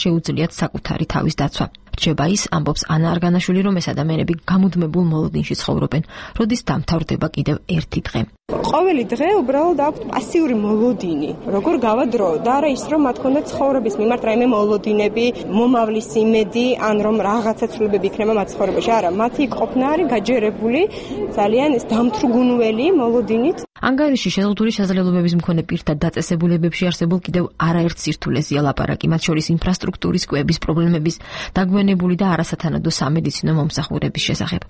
შეუძლიათ საკუთარი თავის დაცვა. რჩება ის, ამბობს ანა არგანაშვილი, რომ ეს ადამიანები გამუდმებულ მოლოდინში ცხოვრობენ, როდის დამთავრდება კიდევ ერთი დღე. ყოველი დღე უბრალოდ აქვთ პასიური მოლოდინი, როგორ გავა დრო და არა ის, რომ მათ ქონდათ ცხოვრების მიმართ რაიმე მოლოდინები, მომავლის იმედი, ან რომ რაღაცა ცვლილებები იქნება მათ ცხოვრებაში. არა, მათი ყოფნა არის გაჯერებული ძალიან ეს დამთრგუნველი მოლოდინით. ანგარიში შეზღუდული შესაძლებლობების მქონე პირთა დაწესებულებებში არსებულ კიდევ არაერთ სირთულეზეა ლაპარაკი, მათ შორის ინფრასტრუქტურის კვების პრობლემების, დაგვიანებული და არასათანადო სამედიცინო მომსახურების შესახებ.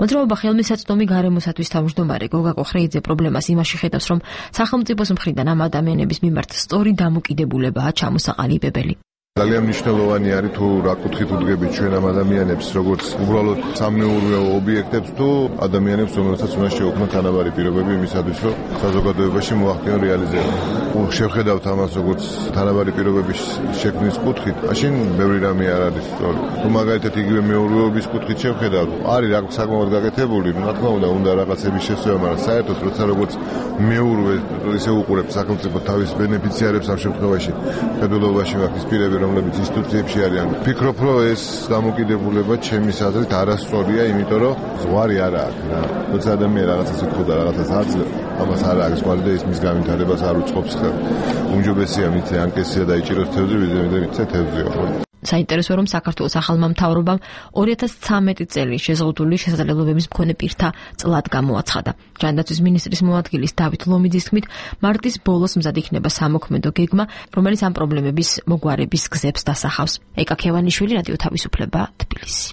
მოძრაობა ხელმისაწვდომი გარემოსათვის თავმჯდომარე გოგა კოხრეიძე პრობლემას იმაში ხედავს, რომ სახელმწიფოს მხრიდან ამ ადამიანების მიმართ სწორი დამოკიდებულებაა ჩამოსაყალიბებელი. ძალიან მნიშვნელოვანი არის თუ რა კუთხით უდგებით ჩვენ ამ ადამიანებს, როგორც უბრალოდ სამეურვეო ობიექტებს თუ ადამიანებს, რომელსაც უნდა შეუქმნათ თანაბარი პირობები იმისათვის, რომ საზოგადოებაში მოახდინონ რეალიზება. შევხედავთ ამას როგორც თანაბარი პირობების შექმნის კუთხით, მაშინ ბევრი რამე არ არის სწორი. თუ მაგალითად იგივე მეურვეობის კუთხით შევხედავთ, არის რა საკმაოდ გაკეთებული, რა თქმა უნდა რაღაცების შესწორება, მაგრამ საერთოდ როცა როგორც მეურვე ისე უყურებს სახელმწიფო თავის ბენეფიციარებს ამ შემთხვევაში, ფედერალობაში მაგის პირები რომლებიც ინსტიტუციებში არიან. ვფიქრობ, რომ ეს დამოკიდებულება ჩემის აზრით არასწორია, იმიტომ რომ ზღვარი არა აქვს რა. როცა ადამიანი რაღაცას ეთქვა, რაღაცას აძლევს, ამას არ აქვს ზღვარი და ის მის განვითარებას არ უწყობს ხელ. უმჯობესია მითე ანკესია დაიჭიროს თევზი, ვიდრე მითე თევზია. საინტერესოა, რომ საქართველოს ახალმა მთავრობამ 2013 წელი შეზღუდული შესაძლებლობების მქონე პირთა წლად გამოაცხადა. ჯანდაცვის მინისტრის მოადგილის დავით ლომიძის თქმით, მარტის ბოლოს მზად იქნება სამოქმედო გეგმა, რომელიც ამ პრობლემების მოგვარების გზებს დასახავს. ეკა ქევანიშვილი, რადიო თავისუფლება, თბილისი.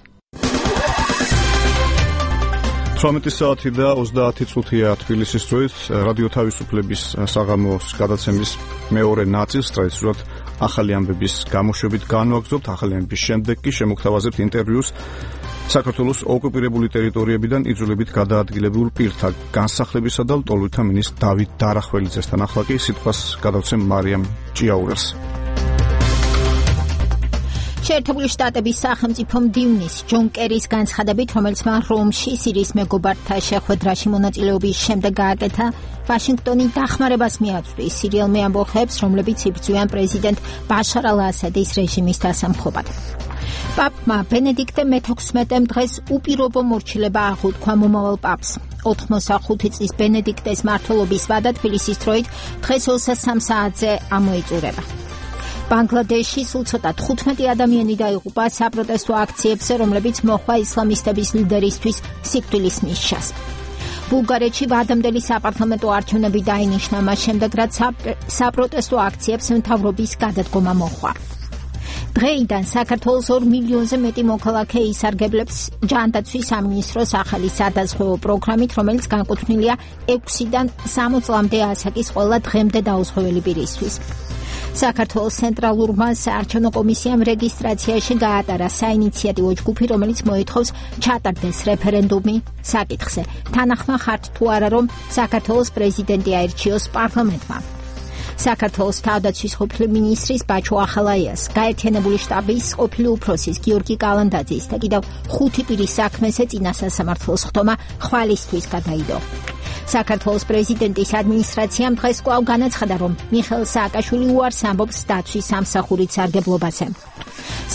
18 საათი და 30 წუთია თბილისის დროით. რადიო თავისუფლების საღამოს გადაცემის მეორე ნაწილს ტრადიციულად ახალი ამბების გამოშვებით განვაგრძობთ. ახალი ამბების შემდეგ კი შემოგთავაზებთ ინტერვიუს საქართველოს ოკუპირებული ტერიტორიებიდან იძულებით გადაადგილებულ პირთა განსახლებისა და ლტოლვილთა მინისტრ დავით დარახველიძესთან. ახლა კი სიტყვას გადავცემ მარიამ ჭიაურელს. შეერთებული შტატების სახელმწიფო მდივნის ჯონ კერის განცხადებით, რომელიც მან რომში სირიის მეგობართა შეხვედრაში მონაწილეობის შემდეგ გააკეთა, ვაშინგტონი დახმარებას მიაწვდის სირიელ ამბოხებს, რომლებიც იბრძვიან პრეზიდენტ ბაშარ ალ-ასადის რეჟიმის დასამხობად. პაპმა ბენედიქტე მე-16-მ დღეს უპირობო მორჩილება აღუთქვა მომავალ პაპს. 85 წლის ბენედიქტეს მმართველობის ვადა თბილისის დროით დღეს 23 საათზე ამოიწურება. ბანგლადეში სულ ცოტა 15 ადამიანი დაიღუპა საპროტესტო აქციებზე, რომლებიც მოჰყვა ისლამისტების ლიდერისთვის სიკვდილის ნიშნას. ბულგარეთში ვადამდელი საპარლამენტო არჩევნები დაინიშნა მას შემდეგ, რაც საპროტესტო აქციებს მთავრობის გადადგომა მოჰყვა. დღეიდან საქართველოს 2 მილიონზე მეტი მოქალაქე ისარგებლებს ჯანდაცვის სამინისტროს ახალი სადაზღვევო პროგრამით, რომელიც განკუთვნილია 6-დან 60 წლამდე ასაკის ყველა დღემდე დაუზღვეველი პირისთვის. საქართველოს ცენტრალურმა საარჩევნო კომისიამ რეგისტრაციაში გაატარა საინიციატივო ჯგუფი, რომელიც მოითხოვს ჩატარდეს რეფერენდუმი საკითხზე. თანახმა ხართ თუ არა, რომ საქართველოს პრეზიდენტი აირჩიოს პარლამენტმა. საქართველოს თავდაცვის ყოფილი მინისტრის ბაჩო ახალაიას, გაერთიანებული შტაბის ყოფილი უფროსის გიორგი კალანდაძის და კიდევ 5 პირის საქმეზე წინა სასამართლოს ხდომა ხვალისთვის გადაიდო. საქართველოს პრეზიდენტის ადმინისტრაციამ დღეს კვლავ განაცხადა, რომ მიხეილ სააკაშვილი უარს ამბობს დაცვის სამსახურით სარგებლობაზე.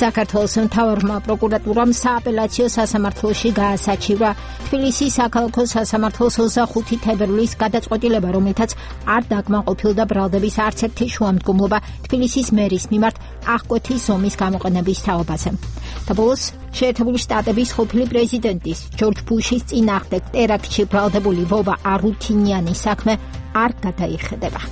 საქართველოს მთავარმა პროკურატურამ სააპელაციო სასამართლოში გაასაჩივრა თბილისის საქალაქო სასამართლოს 25 თებერვლის გადაწყვეტილება, რომელთაც არ დაკმაყოფილდა ბრალდების არც ერთი შუამდგომლობა თბილისის მერის მიმართ აღკვეთის ომის გამოყენების თაობაზე. და ბოლოს შეერთებული შტატების ყოფილი პრეზიდენტის ჯორჯ ბუშის წინააღმდეგ ტერაქტში ბრალდებული ვოვა არუთინიანის საქმე არ გადაიხედება.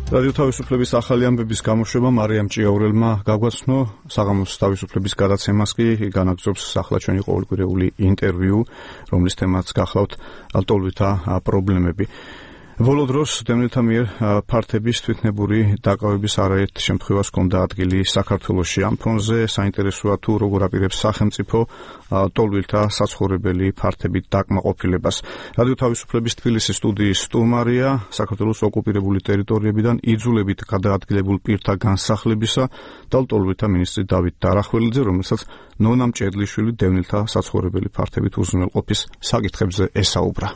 რადიო თავისუფლების ახალი ამბების გამოშვება მარიამ ჭიაურელმა გაგვაცნო. საღამოს თავისუფლების გადაცემას კი განაგრძობს ახლა ჩვენი ყოველკვირეული ინტერვიუ, რომლის თემაც გახლავთ ლტოლვილთა პრობლემები. ბოლო დროს დევნილთა მიერ ფართების თვითნებური დაკავების არაერთ შემთხვევას ჰქონდა ადგილი საქართველოში. ამ ფონზე საინტერესოა თუ როგორ აპირებს სახელმწიფო ლტოლვილთა საცხოვრებელი ფართებით დაკმაყოფილებას. რადიო თავისუფლების თბილისის სტუდიის სტუმარია საქართველოს ოკუპირებული ტერიტორიებიდან იძულებით გადაადგილებულ პირთა განსახლებისა და ლტოლვილთა მინისტრი დავით დარახველიძე, რომელსაც ნონა მჭედლიშვილი დევნილთა საცხოვრებელი ფართებით უზრუნველყოფის საკითხებზე ესაუბრა.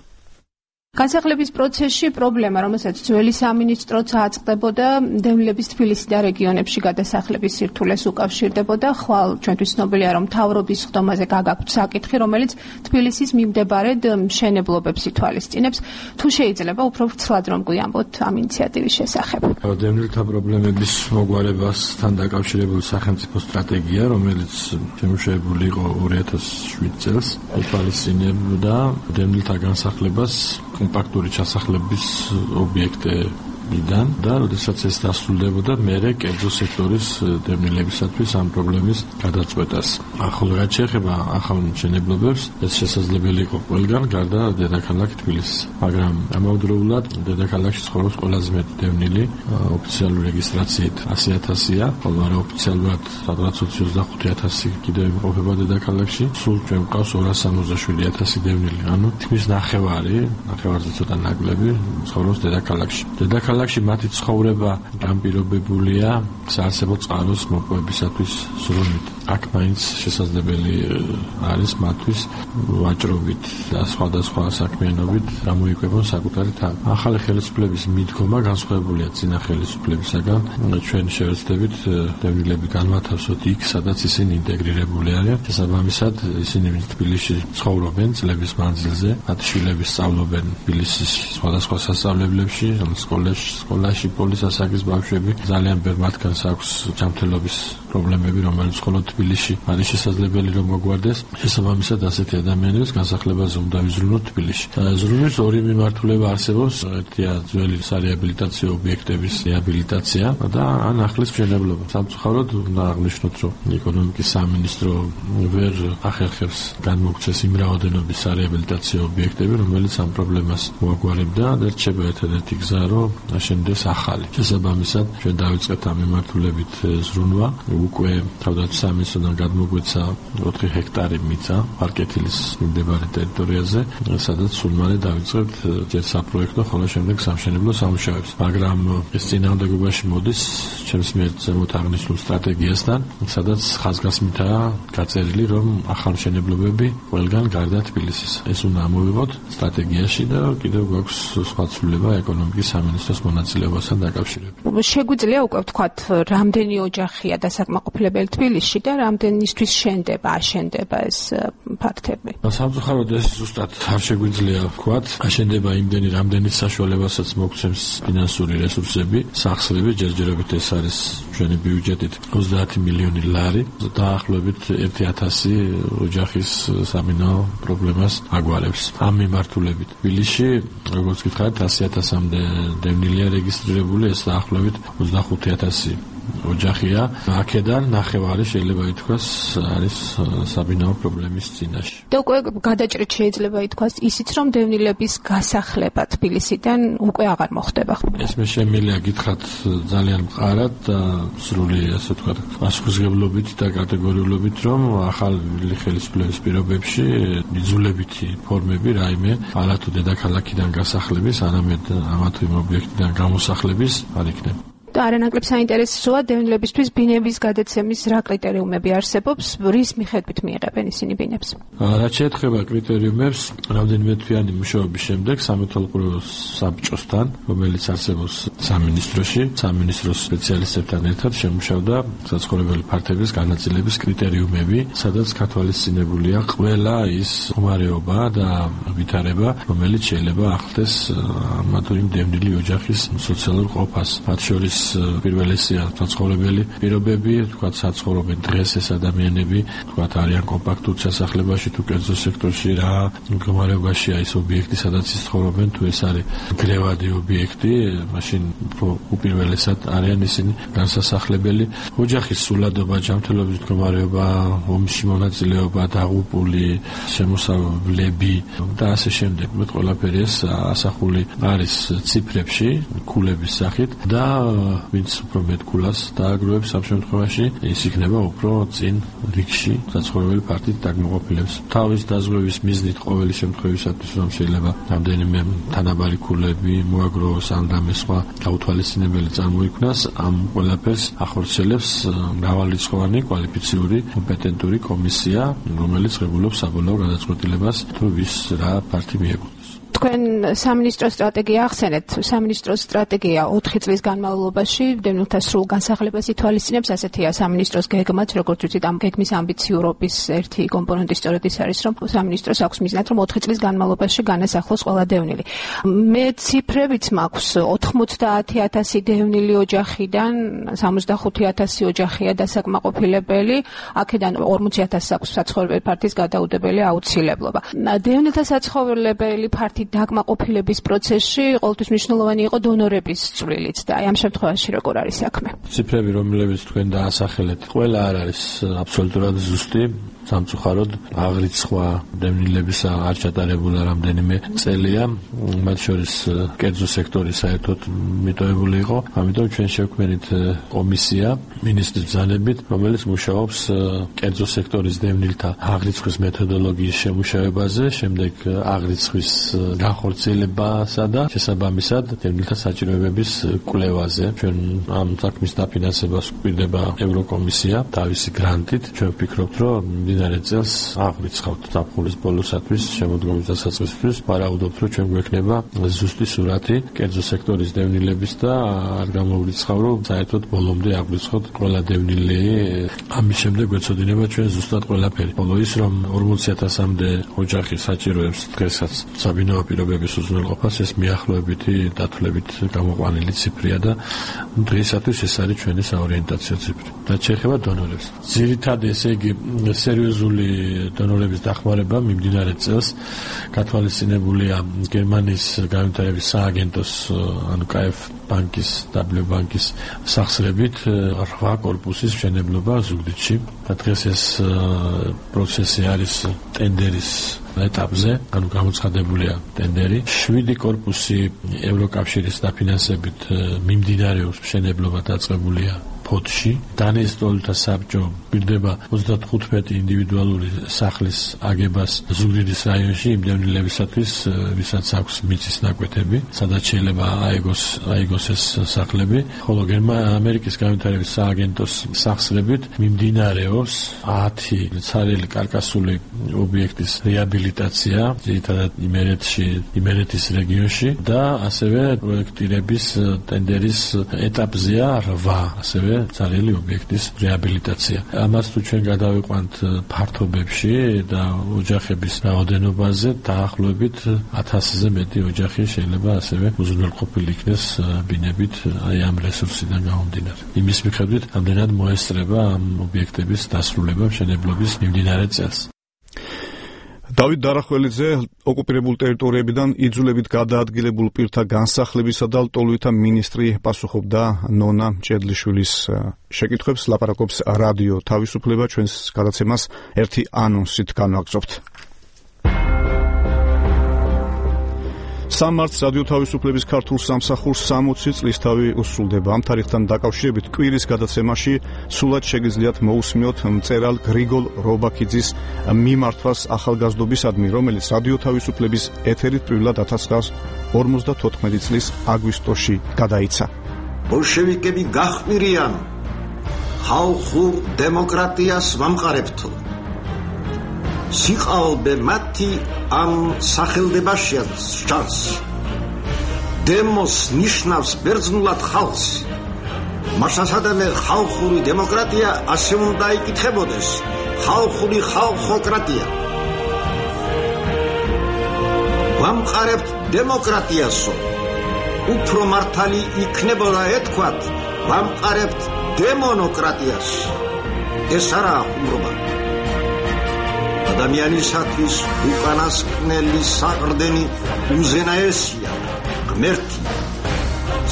განსახლების პროცესში პრობლემა, რომელსაც ძველი სამინისტროც აწყდებოდა, დევნილების თბილისი და რეგიონებში გადასახლების სირთულეს უკავშირდებოდა. ხვალ ჩვენთვის ცნობილია, რომ მთავრობის ხდომაზე გაგაქვთ საკითხი, რომელიც თბილისის მიმდებარედ მშენებლობებს ითვალისწინებს. თუ შეიძლება უფრო ვრცლად რომ გვიამბოთ ამ ინიციატივის შესახებ. დევნილთა პრობლემების მოგვარებასთან დაკავშირებული სახელმწიფო სტრატეგია, რომელიც შემუშავებული იყო 2007 წელს, ითვალისწინებდა დევნილთა განსახლებას კომპაქტური ჩასახლების ობიექტებიდან და როდესაც ეს დასრულდებოდა, მერე კერძო სექტორის დევნილებისათვის ამ პრობლემის გადაწყვეტას. ახლა რაც შეეხება ახალ მშენებლობებს, ეს შესაძლებელი იყო ყველგან, გარდა დედაქალაქ თბილისის. მაგრამ ამავდროულად დედაქალაქში ცხოვრობს ყველაზე მეტი დევნილი, ოფიციალური რეგისტრაციით 100,000-ია, ხოლო არაოფიციალურად სადღაც 25,000 კიდევ იმყოფება დედაქალაქში. სულ ჩვენ გვყავს 267,000 დევნილი. ანუ თითქმის ნახევარზე ცოტა ნაკლები ცხოვრობს დედაქალაქში. დედაქალაქში მათი ცხოვრება განპირობებულია საარსებო წყაროს მოპოვებისათვის ზრუნვით. აქ მაინც შესაძლებელი არის მათთვის ვაჭრობით და სხვადასხვა საქმიანობით გამოიკვებონ საკუთარი თავი. ახალი ხელისუფლების მიდგომა განსხვავებულია წინა ხელისუფლებისაგან. ჩვენ შევეცდებით დევნილები განვათავსოთ იქ, სადაც ისინი ინტეგრირებული არიან. შესაბამისად, ისინი თბილისში ცხოვრობენ წლების მანძილზე, მათი შვილები სწავლობენ თბილისის სხვადასხვა სასწავლებლებში, სკოლაში პოლის ასაკის ბავშვები. ძალიან ბევრ მათგანს აქვს ჯანმრთელობის პრობლემები, რომელიც მხოლოდ თბილისში არის შესაძლებელი რომ მოგვარდეს. შესაბამისად, ასეთი ადამიანების განსახლებაზე უნდა ვიზრუნოთ თბილისში. ზრუნვის ორი მიმართულება არსებობს. ერთია ძველი სარეაბილიტაციო ობიექტების რეაბილიტაცია და ან ახლის მშენებლობა. სამწუხაროდ უნდა აღნიშნოთ, რომ ეკონომიკის სამინისტრო ვერ ახერხებს განმოქცეს იმ რაოდენობის სარეაბილიტაციო ობიექტები, რომელიც ამ პრობლემას მოაგვარებდა და რჩება ერთადერთი გზა, რომ აშენდეს ახალი. შესაბამისად, ჩვენ დავიწყეთ ამ მიმართულებით ზრუნვა. უკვე თავდაცვის სამინისტროდან გადმოგვეცა 4 ჰექტარი მიწა პარკეთილის მიმდებარე ტერიტორიაზე, სადაც სულ მალე დავიწყებთ ჯერ საპროექტო, ხოლო შემდეგ სამშენებლო სამუშაოებს. მაგრამ ეს წინააღმდეგობაში მოდის ჩემს მიერ ზემოთ აღნიშნულ სტრატეგიასთან, სადაც ხაზგასმითაა გაწერილი, რომ ახალმშენებლობები ყველგან გარდა თბილისის. ეს უნდა ამოვიღოთ სტრატეგიაში და კიდევ გვაქვს სხვა ცვლილება ეკონომიკის სამინისტროს მონაწილეობასთან დაკავშირებით. შეგვიძლია უკვე ვთქვათ, რამდენი ოჯახია დასაკმაყოფილებელი თბილისში და რამდენისთვის აშენდება ეს ფაქტები. სამწუხაროდ ეს ზუსტად არ შეგვიძლია ვთქვათ. აშენდება იმდენი, რამდენის საშუალებასაც მოგცემს ფინანსური რესურსები. სახსრები ჯერჯერობით ეს არის ჩვენი ბიუჯეტით 30 მილიონი ლარი. დაახლოებით 1,000 ოჯახის სამინო პრობლემას აგვარებს. ამ მიმართულებით თბილისში, როგორც გითხარით, 100,000-მდე დევნილია რეგისტრირებული, ეს დაახლოებით 25,000 ოჯახია. აქედან ნახევარი შეიძლება ითქვას არის საბინაო პრობლემის წინაშე. და უკვე გადაჭრით შეიძლება ითქვას ისიც, რომ დევნილების გასახლება თბილისიდან უკვე აღარ მოხდება. ეს მე შემიძლია გითხრათ ძალიან მყარად და სრული, ასე ვთქვათ, პასუხისმგებლობით და კატეგორიულობით, რომ ახალი ხელისუფლების პირობებში იძულებითი ფორმები რაიმე არა თუ დედაქალაქიდან გასახლების, არამედ ამა თუ იმ ობიექტიდან გამოსახლების არ იქნება. და არანაკლებ საინტერესოა დევნილებისთვის ბინების გადაცემის რა კრიტერიუმები არსებობს, რის მიხედვით მიიღებენ ისინი ბინებს? რაც შეეხება კრიტერიუმებს, რამდენიმე თვიანი მუშაობის შემდეგ სამეთვალყურო საბჭოსთან, რომელიც არსებობს სამინისტროში, სამინისტროს სპეციალისტებთან ერთად შემუშავდა საცხოვრებელი ფართების განაწილების კრიტერიუმები, სადაც გათვალისწინებულია ყველა ის მდგომარეობა და ვითარება, რომელიც შეიძლება ახლდეს ამა თუ იმ დევნილი ოჯახის სოციალურ ყოფას. მათ შორის პირველესია საცხოვრებელი პირობები, თქვათ საცხოვრობენ დღეს ეს ადამიანები, თქვათ არიან კომპაქტურ ჩასახლებაში თუ კერძო სექტორში რა მდგომარეობაშია ის ობიექტი, სადაც ის ცხოვრობენ, თუ ეს არის გრევადი ობიექტი, მაშინ უპირველესად არიან ისინი განსასახლებელი. ოჯახის სულადობა, ჯანმრთელობის მდგომარეობა, ომში მონაწილეობა, დაღუპული, შემოსავლები და ასე შემდეგ. მე ყველაფერი ეს ასახული არის ციფრებში, ქულების სახით და ვინც უფრო მეტ ქულას დააგროვებს ამ შემთხვევაში, ის იქნება უფრო წინ რიგში საცხოვრებელი ფართით დაკმაყოფილებს. თავის დაზღვევის მიზნით ყოველი შემთხვევისათვის, რომ შეიძლება რამდენიმე თანაბარი ქულები მოაგროვოს ან რამე სხვა გაუთვალისწინებელი წარმოიქმნას, ამ ყველაფერს ახორციელებს მრავალრიცხოვანი კვალიფიციური კომპეტენტური კომისია, რომელიც ღებულობს საბოლოო გადაწყვეტილებას, თუ ვის რა ფართი მიეკუთვნის. თქვენ სამინისტროს სტრატეგია ახსენეთ. სამინისტროს სტრატეგია 4 წლის განმავლობაში დევნილთა სრულ განსახლებას ითვალისწინებს. ასეთია სამინისტროს გეგმაც, როგორც ვიცით, ამ გეგმის ამბიციურობის ერთი კომპონენტი სწორედ ის არის, რომ სამინისტროს აქვს მიზნად, რომ 4 წლის განმავლობაში განასახლოს ყველა დევნილი. მე ციფრებიც მაქვს 90,000 დევნილი ოჯახიდან 65,000 ოჯახია დასაკმაყოფილებელი, აქედან 40,000 აქვს საცხოვრებელი ფართის გადაუდებელი აუცილებლობა. დევნილთა საცხოვრებელი ფართი დაკმაყოფილების პროცესში ყოველთვის მნიშვნელოვანი იყო დონორების წვლილიც და აი ამ შემთხვევაში როგორ არის საქმე? ციფრები, რომლებიც თქვენ დაასახელეთ, ყველა არ არის აბსოლუტურად ზუსტი. სამწუხაროდ აღრიცხვა დევნილების არ ჩატარებულა რამდენიმე წელია, მათ შორის კერძო სექტორი საერთოდ მიტოვებული იყო. ამიტომ ჩვენ შევქმნით კომისია მინისტრის ბრძანებით, რომელიც მუშაობს კერძო სექტორის დევნილთა აღრიცხვის მეთოდოლოგიის შემუშავებაზე, შემდეგ აღრიცხვის განხორციელებასა და შესაბამისად დევნილთა საჭიროებების კვლევაზე. ჩვენ ამ საქმის დაფინანსებას გვპირდება ევროკომისია თავისი გრანტით. ჩვენ ვფიქრობთ, რომ მდინარე წელს აღვიცხავთ ზაფხულის ბოლოსათვის შემოდგომის დასაწყისისთვის. ვარაუდობთ, რომ ჩვენ გვექნება ზუსტი სურათი კერძო სექტორის დევნილების და არ გამოვრიცხავ, რომ საერთოდ ბოლომდე აღვიცხოთ ყველა დევნილი. ამის შემდეგ გვეცოდინება ჩვენ ზუსტად ყველაფერი. ბოლო ის, რომ 40,000-მდე ოჯახი საჭიროებს დღესაც საბინაო პირობების უზრუნველყოფას, ეს მიახლოებითი დათვლებით გამოყვანილი ციფრია და დღეისათვის ეს არის ჩვენი საორიენტაციო ციფრი. რაც შეეხება დონორებს. ძირითადად ესე იგი სერიოზული დონორების დახმარება მიმდინარე წელს გათვალისწინებულია გერმანიის განვითარების სააგენტოს ანუ KfW ბანკის, W ბანკის სახსრებით 8 კორპუსის მშენებლობა ზუგდიდში. დღეს ეს პროცესი არის ტენდერის ეტაპზე, ანუ გამოცხადებულია ტენდერი. 7 კორპუსი ევროკავშირის დაფინანსებით მიმდინარეობს მშენებლობა დაწყებულია ფოთში. დანიის სტოლთა საბჭო გვირდება 35 ინდივიდუალური სახლის აგებას ზუგდიდის რაიონში იმ დევნილებისათვის, ვისაც აქვს მიწის ნაკვეთები, სადაც შეიძლება აიგოს ეს სახლები. ხოლო ამერიკის განვითარების სააგენტოს სახსრებით მიმდინარეობს 10 ცარიელი კარკასული ობიექტის რეაბილიტაცია, ძირითადად იმერეთის რეგიონში და ასევე პროექტირების ტენდერის ეტაპზეა 8 ასევე ცარიელი ობიექტის რეაბილიტაცია. ამას თუ ჩვენ გადავიყვანთ ფართობებში და ოჯახების რაოდენობაზე, დაახლოებით 1000-ზე მეტი ოჯახი შეიძლება ასევე უზრუნველყოფილი იქნეს ბინებით აი ამ რესურსიდან გამომდინარე. იმის მიხედვით, ამდენად მოესწრება ამ ობიექტების დასრულება მშენებლობის მიმდინარე წელს. დავით დარახველიძე ოკუპირებულ ტერიტორიებიდან იძულებით გადაადგილებულ პირთა განსახლებისა და ლტოლვითა მინისტრი პასუხობდა ნონა მჭედლიშვილის შეკითხვებს. ლაპარაკობს რადიო თავისუფლება, ჩვენს გადაცემას ერთი ანონსით განვაგრძობთ. 3 მარტს რადიო თავისუფლების ქართულ სამსახურს 60 წლისთავი უსრულდება. ამ თარიღთან დაკავშირებით კვირის გადაცემაში სულად შეგიძლიათ მოусმინოთ მწერალ გრიგოლ რობაქიძის მიმართვას ახალგაზრდობისადმი, რომელიც რადიო თავისუფლების ეთერით პირველად 1954 წლის აგვისტოში გადაიცა. ბოლშევიკები გახმირიან ხალხურ დემოკრატიას ვამყარებთ. სიყალბე მათი ამ სახელდებაშია ჩანს. დემოს ნიშნავს ბერძნულად ხალხს. მასასადამე ხალხური დემოკრატია ასე უნდა იკითხებოდეს, ხალხური ხალხოკრატია. ვამყარებთ დემოკრატიასო. უფრო მართალი იქნებოდა ეთქვათ, ვამყარებთ დემონოკრატიას. ეს არაა ხუმრობა. ადამიანისათვის უკანასკნელი საყრდენი უზენაესია, ღმერთი.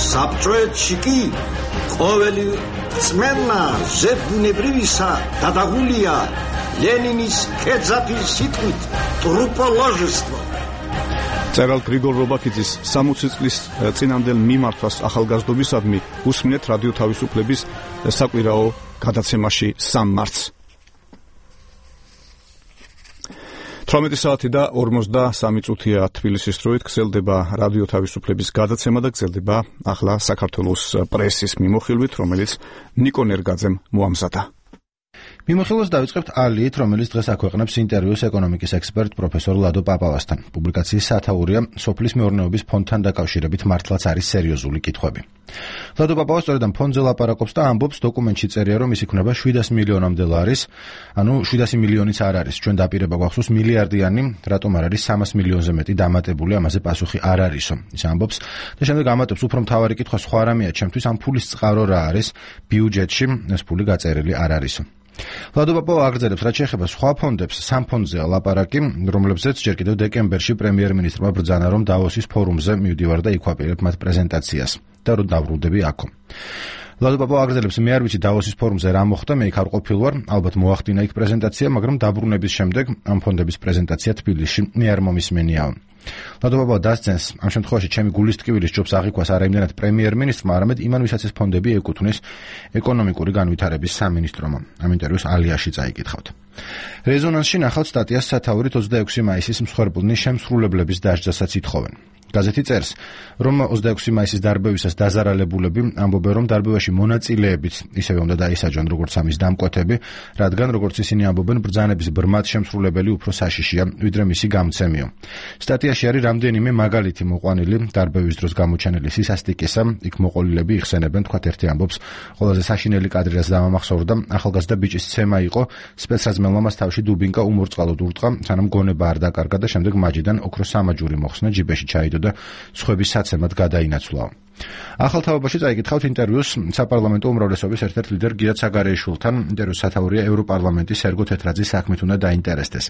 საბჭოეთში კი ყოველი წმენა ზებუნებრივისა დადაღულია ლენინის კერძაფის სიტყვით ტრუპოლოჟესტო. მწერალ გრიგოლ რობაქიძის 60 წლის წინანდელ მიმართვას ახალგაზრდობისადმი უსმინეთ რადიო თავისუფლების საკვირაო გადაცემაში 3 მარტს. 18 საათი და 53 წუთია თბილისის დროით. გრძელდება რადიო თავისუფლების გადაცემა და გრძელდება ახლა საქართველოს პრესის მიმოხილვით, რომელიც ნიკო ნერგაძემ მოამზადა. მიმოხილვას დავიწყებთ ალიით, რომელიც დღეს აქვეყნებს ინტერვიუს ეკონომიკის ექსპერტ პროფესორ ლადო პაპავასთან. პუბლიკაციის სათაურია სოფლის მეურნეობის ფონდთან დაკავშირებით მართლაც არის სერიოზული კითხვები. ლადო პაპავა სწორედ ამ ფონდზე ლაპარაკობს და ამბობს, დოკუმენტში წერია, რომ ის იქნება 700 მილიონამდე ლარის, ანუ 700 მილიონიც არ არის. ჩვენ დაპირება გვახსოვს მილიარდიანი, რატომ არ არის 300 მილიონზე მეტი დამატებული, ამაზე პასუხი არ არისო. ის ამბობს და შემდეგ ამატებს, უფრო მთავარი კითხვა სხვა რამეა ჩემთვის, ამ ფულის წყარო რა არის ბიუჯეტში, ეს ფული გაწერილი არ არისო. ლადო პაპავა აგრძელებს, რაც შეეხება სხვა ფონდებს, სამ ფონდზეა ლაპარაკი, რომლებზეც ჯერ კიდევ დეკემბერში პრემიერ-მინისტრმა ბრძანა, რომ დავოსის ფორუმზე მივდივარ და იქვაპირებ მათ პრეზენტაციას და რომ დავრუნდები აქო. ლადო პაპავა აგრძელებს, მე არ ვიცი დავოსის ფორუმზე რა მოხდა, მე იქ არ ყოფილ ვარ, ალბათ მოახდინა იქ პრეზენტაცია, მაგრამ დაბრუნების შემდეგ ამ ფონდების პრეზენტაცია თბილისში მე არ მომისმენიაო. ლადო პაპავა დასცენს, ამ შემთხვევაში ჩემი გულის ტკივილის ჯობს აღიქვას არა იმდენად პრემიერ-მინისტრმა, არამედ იმან, ვისაც ეს ფონდები ეკუთვნის ეკონომიკური განვითარების სამინისტრომ. ამ ინტერვიუს ალიაში წაიკითხავთ. რეზონანსში ნახავთ სტატიას სათაურით 26 მაისის მსხვერპლნის შემსრულებლების დასჯასაც ითხოვენ. გაზეთი წერს, რომ 26 მაისის დარბევისას დაზარალებულები ამბობენ, რომ დარბევაში მონაწილეებიც ისევე უნდა დაისაჯონ, როგორც ამის დამკვეთები, რადგან, როგორც ისინი ამბობენ, ბრძანების ბრმად შემსრულებელი უფრო საშიშია, ვიდრე მისი გამცემიო. სტატიაში არის რამდენიმე მაგალითი მოყვანილი დარბევის დროს გამოჩენილი სისასტიკისა, იქ მოყოლილები იხსენებენ, თქვათ ერთი ამბობს, ყველაზე საშინელი კადრი, რაც დამამახსოვრდა, ახალგაზრდა ბიჭის ცემა იყო, სპეცრაზმელმა მას თავში დუბინკა უმორწყალოდ ურტყა, სანამ გონება არ დაკარგა და შემდეგ მაჯიდან ოქროს სამაჯური მოხსნა, ჯიბეში ჩაიდო და სხვების საცემად გადაინაცვლაო. ახალ თაობაში წაიკითხავთ ინტერვიუს საპარლამენტო უმრავლესობის ერთ-ერთ ლიდერ გიათ საგარეიშვილთან. ინტერვიუს სათაურია ევროპარლამენტის სერგო თეთრაძის საქმით უნდა დაინტერესდეს.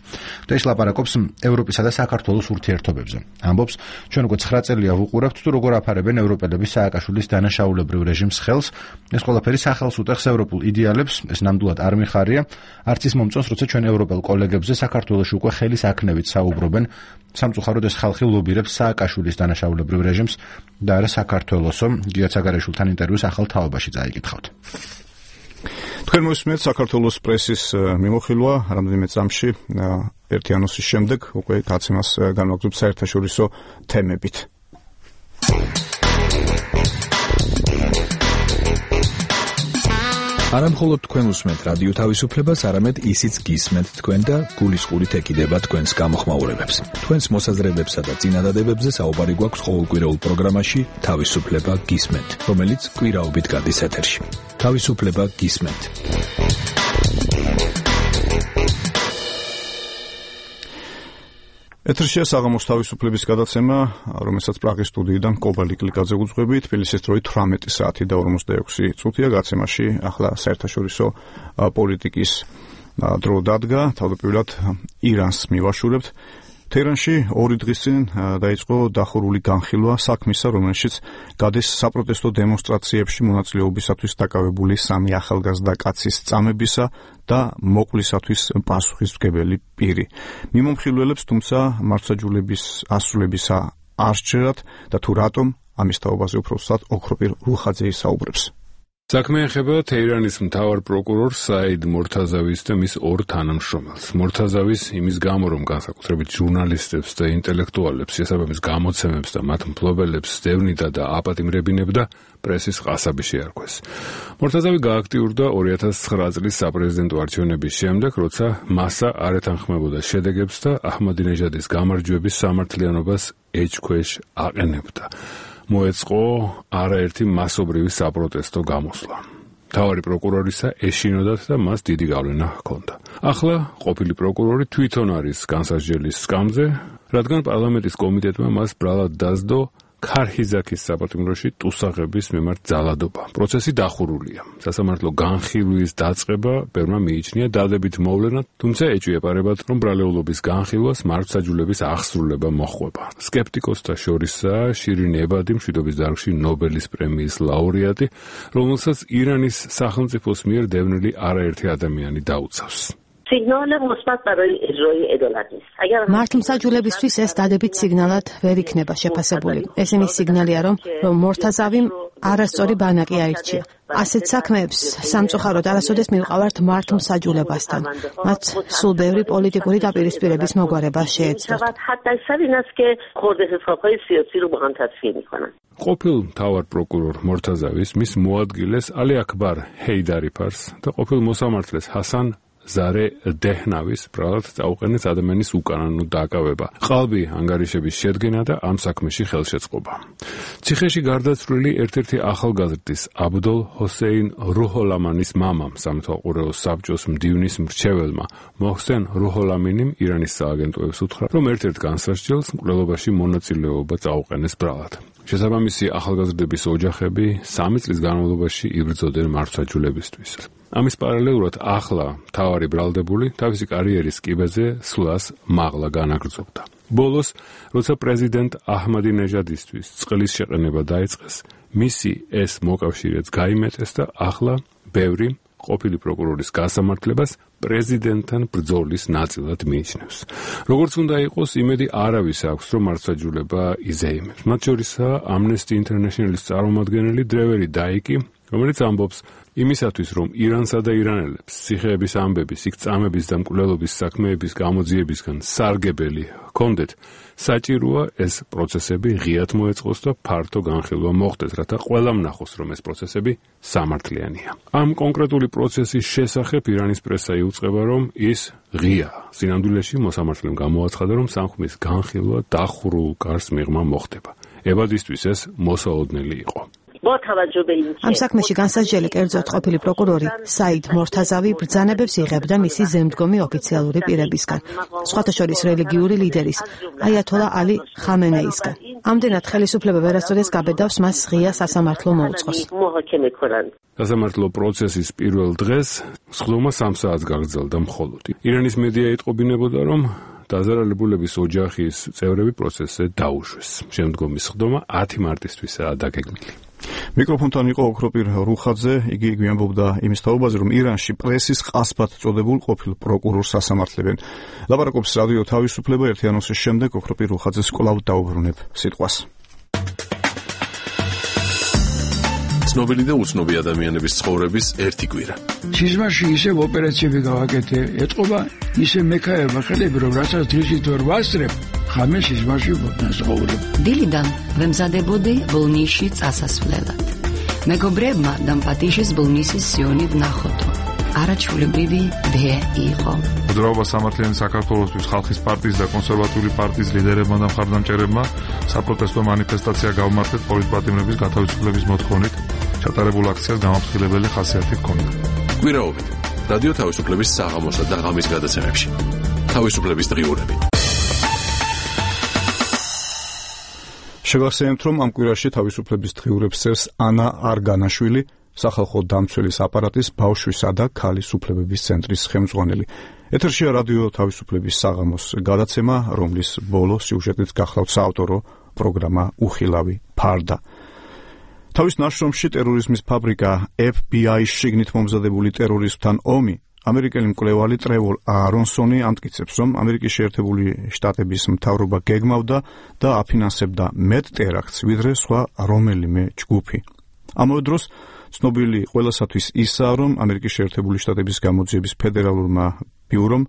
და ის ლაპარაკობს ევროპისა და საქართველოს ურთიერთობებზე. ამბობს, ჩვენ უკვე 9 წელია ვუყურებთ თუ როგორ აფარებენ ევროპელები სააკაშვილის დანაშაულებრივ რეჟიმს ხელს. ეს ყველაფერი სახელს უტეხს ევროპულ იდეალებს, ეს ნამდვილად არ მიხარია. არც ის მომწონს, როცა ჩვენ ევროპელ კოლეგებზე საქართველოში უკვე ხელის აქნევით საუბრობენ. სამწუხაროდ ეს ხალხი ლობირებს სააკაშვილის დანაშაულებრივ რეჟიმს და არა საქართველოსო. გიათ საგარეიშვილთან ინტერვიუს ახალ თაობაში წაიკითხავთ. თქვენ მოსმენთ საქართველოს პრესის მიმოხილვა რამდენიმე წამში ერთი ანონსის შემდეგ უკვე გაცემას განვაგრძობთ საერთაშორისო თემებით. არა მხოლოდ თქვენ უსმენთ რადიო თავისუფლებას, არამედ ისიც გისმენთ თქვენ და გულისყურით ეკიდება თქვენს გამოხმაურებებს. თქვენს მოსაზრებებსა და წინადადებებზე საუბარი გვაქვს ყოველკვირეულ პროგრამაში თავისუფლება გისმენთ, რომელიც კვირაობით გადის ეთერში. თავისუფლება გისმენთ. ეთერშია საღამოს თავისუფლების გადაცემა, რომელსაც პრაღის სტუდიიდან კობა ლიკლიკაძე უძღვები. თბილისის დროით 18 საათი და 46 წუთია. გაცემაში ახლა საერთაშორისო პოლიტიკის დრო დადგა. თავდაპირველად ირანს მივაშურებთ. თეირანში 2 დღის წინ დაიწყო დახურული განხილვა საქმისა, რომელშიც გადის საპროტესტო დემონსტრაციებში მონაწილეობისათვის დაკავებული 3 ახალგაზრდა კაცის წამებისა და მოყვლისათვის პასუხისმგებელი პირი. მიმომხილველებს თუმცა მართლმსაჯულების ასრულებისა არ სჯერათ და თუ რატომ ამის თაობაზე უფრო სწორად ოქროპირ რუხაძე ისაუბრებს. საქმე ეხება თეირანის მთავარ პროკურორს საიდ მორთაზავის და მის 2 თანამშრომელს. მორთაზავის იმის გამო, რომ განსაკუთრებით ჟურნალისტებს და ინტელექტუალებს შესაბამის გამოცემებს და მათ მფლობელებს დევნიდა და აპატიმრებინებდა, პრესის ყასაბი შეარქვეს. მორთაზავი გააქტიურდა 2009 წლის საპრეზიდენტო არჩევნების შემდეგ, როცა მასა არ ეთანხმებოდა შედეგებს და აჰმადინეჟადის გამარჯვების სამართლიანობას ეჭქვეშ აყენებდა. მოეწყო არაერთი მასობრივი საპროტესტო გამოსვლა. მთავარი პროკურორისა ეშინოდათ და მას დიდი გავლენა ჰქონდა. ახლა ყოფილი პროკურორი თვითონ არის განსასჯელის სკამზე, რადგან პარლამენტის კომიტეტმა მას ბრალად დასდო ქარჰიზაქის საპატიმროში ტუსაღების მიმართ ძალადობა. პროცესი დახურულია. სასამართლო განხილვის დაწყება ბერმა მიიჩნია დადებით მოვლენად, თუმცა ეჭვიეპარებათ, რომ ბრალეულობის განხილვას მართლმსაჯულების აღსრულება მოჰყვება. სკეპტიკოსთა შორისაა შირინ ებადი, მშვიდობის დარგში ნობელის პრემიის ლაურეატი, რომელსაც ირანის სახელმწიფოს მიერ დევნილი არაერთი ადამიანი დაუცავს. სიგნალი მოსმათ ბაროი ეჟროი ედოლატის. მართლმსაჯულებისთვის ეს დადებით სიგნალად ვერ იქნება შეფასებული. ეს იმის სიგნალია, რომ მორთაზავიმ არასწორი ბანაკი აირჩია. ასეთ საქმეებს სამწუხაროდ არასოდეს მივყავართ მართლმსაჯულებასთან. მათ სულ ბევრი პოლიტიკური დაპირისპირების მოგვარება შეეძლოთ. ყოფილ მთავარ პროკურორ მორთაზავის, მის მოადგილეს ალი აქბარ ჰეიდარიფარს და ყოფილ მოსამართლეს ჰასან ზარე დეჰნავის ბრალად წაუყენეს ადამიანის უკანონო დაკავება, ყალბი ანგარიშების შედგენა და ამ საქმეში ხელშეწყობა. ციხეში გარდაცვლილი ერთ-ერთი ახალგაზრდის აბდულ ჰოსეინ რუჰოლამანის მამამ სამეთვალყურეო საბჭოს მდივნის მრჩეველმა მოჰსენ რუჰოლამინიმ ირანის სააგენტოებს უთხრა, რომ ერთ-ერთ განსასჯელს მკვლელობაში მონაწილეობა წაუყენეს ბრალად. შესაბამისი ახალგაზრდების ოჯახები 3 წლის განმავლობაში იბრძოდნენ მართლმსაჯულებისთვის. ამის პარალელურად ახლა მთავარი ბრალდებული თავისი კარიერის კიბეზე სვლას მაღლა განაგრძობდა. ბოლოს, როცა პრეზიდენტ აჰმადინეჟადისთვის წყლის შეყენება დაიწყეს, მისი ეს მოკავშირეც გაიმეტეს და ახლა ბევრი ყოფილი პროკურორის გასამართლებას პრეზიდენტთან ბრძოლის ნაწილად მიიჩნევს. როგორც უნდა იყოს, იმედი არავის აქვს, რომ მართლმსაჯულება იზეიმებს. მათ შორისაა Amnesty International-ის წარმომადგენელი დრევერი დაიკი, რომელიც ამბობს იმისათვის, რომ ირანსა და ირანელებს ციხეების ამბების, იქ წამების და მკვლელობის საქმეების გამოძიებისგან სარგებელი ჰქონდეთ, საჭიროა ეს პროცესები ღიად მოეწყოს და ფართო განხილვა მოხდეს, რათა ყველამ ნახოს, რომ ეს პროცესები სამართლიანია. ამ კონკრეტული პროცესის შესახებ ირანის პრესა იუწყება, რომ ის ღიაა. სინამდვილეში მოსამართლემ გამოაცხადა, რომ საქმის განხილვა დახურულ კარს მიღმა მოხდება. ევადისთვის ეს მოსაოდნელი იყო. ამ საქმეში განსასჯელი კერძოდ ყოფილი პროკურორი საიდ მორთაზავი ბრძანებებს იღებდა მისი ზემდგომი ოფიციალური პირებისგან, სხვათა შორის რელიგიური ლიდერის აიათოლა ალი ხამენეისგან. ამდენად ხელისუფლება ვერასოდეს გაბედავს მას ღია სასამართლო მოუწყოს. სასამართლო პროცესის პირველ დღეს სხდომა 3 საათს გაგრძელდა მხოლოდ. ირანის მედია იტყობინებოდა, რომ დაზარალებულების ოჯახის წევრები პროცესზე დაუშვეს. შემდგომი სხდომა 10 მარტისთვისაა დაგეგმილი. მიკროფონთან იყო ოქროპირ რუხაძე, იგი გვიამბობდა იმის თაობაზე, რომ ირანში პრესის ყასბად წოდებულ ყოფილ პროკურორს ასამართლებენ. ლაპარაკობს რადიო თავისუფლება, ერთი ანონსის შემდეგ ოქროპირ რუხაძეს კვლავ დაუბრუნებ სიტყვას. ცნობილი და უცნობი ადამიანების ცხოვრების ერთი კვირა. სიზმარში ისევ ოპერაციები გავაკეთე, ეთყობა ისე მექაერმა ხელები, რომ რასაც დღისით ვერ ვასწრებ, ხამე სიზმარში ვცხოვრობ. დილიდან ვემზადებოდი ბოლნისში წასასვლელად. მეგობრებმა დამპატიშეს ბოლნისის სიონი ვნახოთო. არაჩვეულებრივი დე იყო. მოძრაობა სამართლიანი საქართველოსთვის ხალხის პარტიის და კონსერვატიული პარტიის ლიდერებმა და მხარდამჭერებმა საპროტესტო მანიფესტაცია გავმართეთ პოლიტპატიმრების გათავისუფლების მოთხოვნით. ჩატარებულ აქციას გამაფრთხილებელი ხასიათი ჰქონდა. კვირაობით რადიო თავისუფლების საღამოსა და ღამის გადაცემებში. თავისუფლების დღიურები. შევახსენებთ, რომ ამ კვირაში თავისუფლების დღიურებს წერს ანა არგანაშვილი, სახალხო დამცველის აპარატის ბავშვისა და ქალის უფლებების ცენტრის ხელმძღვანელი. ეთერშია რადიო თავისუფლების საღამოს გადაცემა, რომლის ბოლო სიუჟეტით გახლავთ საავტორო პროგრამა უხილავი ფარდა. თავის ნაშრომში ტერორიზმის ფაბრიკა FBI-ის შიგნით მომზადებული ტერორიზმთან ომი ამერიკელი მკვლევარი ტრევორ არონსონი ამტკიცებს, რომ ამერიკის შეერთებული შტატების მთავრობა გეგმავდა და აფინანსებდა მეტ ტერაქტს, ვიდრე სხვა რომელიმე ჯგუფი. ამავე დროს ცნობილი ყველასათვის ისაა, რომ ამერიკის შეერთებული შტატების გამოძიების ფედერალურმა ბიურომ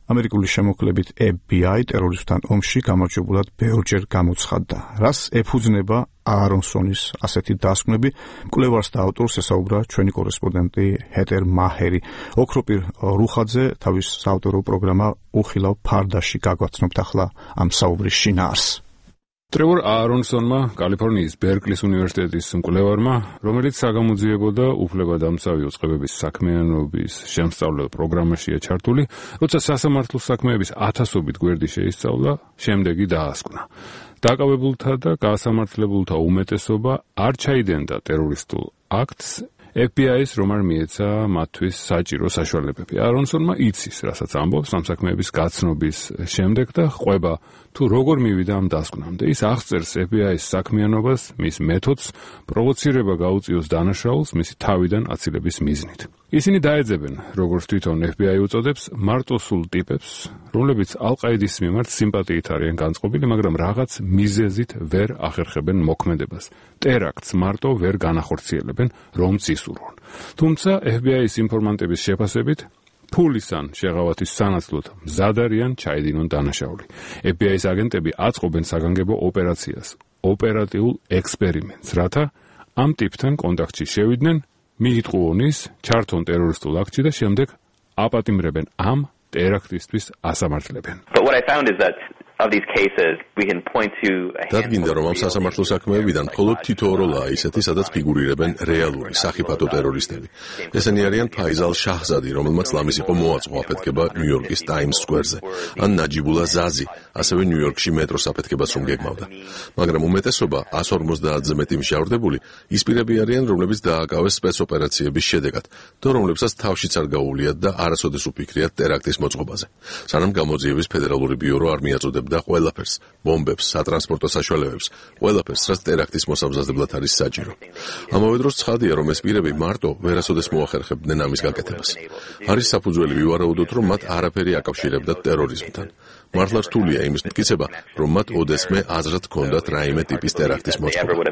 ამერიკული შემოქმედებით FBI ტერორიზმთან ომში გამარჯვებულად ბევრჯერ გამოცხადდა. რას ეფუძნება არონსონის ასეთი დასკვნები, მკვლევარს და ავტორს ესაუბრა ჩვენი კორესპონდენტი ჰეტერ მაჰერი. ოქროპირ რუხაძე თავის საავტორო პროგრამა უხილავ ფარდაში გაგვაცნობთ ახლა ამ საუბრის შინაარსს. ტრევორ არონსონმა, კალიფორნიის ბერკლის უნივერსიტეტის მკვლევარმა, რომელიც საგამოძიებო და უფლებადამცავი უწყებების საქმიანობის შემსწავლელ პროგრამაშია ჩართული, როცა სასამართლო საქმეების 1000-ობით გვერდი შეისწავლა, შემდეგი დაასკვნა. დაკავებულთა და გასამართლებულთა უმეტესობა არ ჩაიდენდა ტერორისტულ აქტს, FBI-ის რომ არ მიეცა მათთვის საჭირო საშუალებები. არონსონმა იცის, რასაც ამბობს ამ საქმეების გაცნობის შემდეგ და ყვება თუ როგორ მივიდა ამ დასკვნამდე. ის აღწერს FBI-ის საქმიანობას, მის მეთოდს, პროვოცირება გაუწიოს დანაშაულს მისი თავიდან აცილების მიზნით. ისინი დაეძებენ, როგორც თვითონ FBI უწოდებს, მარტოსულ ტიპებს, რომლებიც ალ-ყაიდის მიმართ სიმპათიით არიან განწყობილი, მაგრამ რაღაც მიზეზით ვერ ახერხებენ მოქმედებას. ტერაქტს მარტო ვერ განახორციელებენ, რომც ისურვონ. თუმცა FBI-ის ინფორმანტების შეფასებით, ფულის ან შეღავათის სანაცვლოდ მზად არიან ჩაედინონ დანაშაული. FBI-ის აგენტები აწყობენ საგანგებო ოპერაციას, ოპერატიულ ექსპერიმენტს, რათა ამ ტიპთან კონტაქტში შევიდნენ, მიიტყუონ ის, ჩართონ ტერორისტულ აქტში და შემდეგ აპატიმრებენ ამ ტერაქტისთვის ასამართლებენ. But what I found is that of these cases we can point to დადგინდა რომ ამ სასამართლო საქმეებიდან მხოლოდ თითო როლაა ისეთი, სადაც ფიგურირებენ რეალური სახიფათო ტერორისტები. ესენი არიან ფაიზალ შაჰზადი, რომელმაც ლამის იყო მოაწყო აფეთქება ნიუ-იორკის ტაიმს სკვერზე, ან ნაჯიბულა ზაზი, ასევე ნიუ-იორკში მეტროს აფეთქებას რომ გეგმავდა. მაგრამ უმეტესობა 150-ზე მეტი მშავრდებული ის პირები არიან, რომლებიც დააკავეს სპეცოპერაციების შედეგად, და რომლებსაც თავშიც არ გაუვლიათ და არასოდეს უფიქრიათ ტერაქტის მოწყობაზე. სანამ გამოძიების ფედერალური ბიურო არ მიაწოდებდა და ყველაფერს, ბომბებს, სატრანსპორტო საშუალებებს, ყველაფერს, რაც ტერაქტის მოსამზადებლად არის საჭირო. ამავე დროს ცხადია, რომ ეს პირები მარტო ვერასოდეს მოახერხებდნენ ამის გაკეთებას. არის საფუძველი ვივარაუდოთ, რომ მათ არაფერი აკავშირებდათ ტერორიზმთან. მართლა რთულია იმის მტკიცება, რომ მათ ოდესმე აზრად ჰქონდათ რაიმე ტიპის ტერაქტის მოწყობა.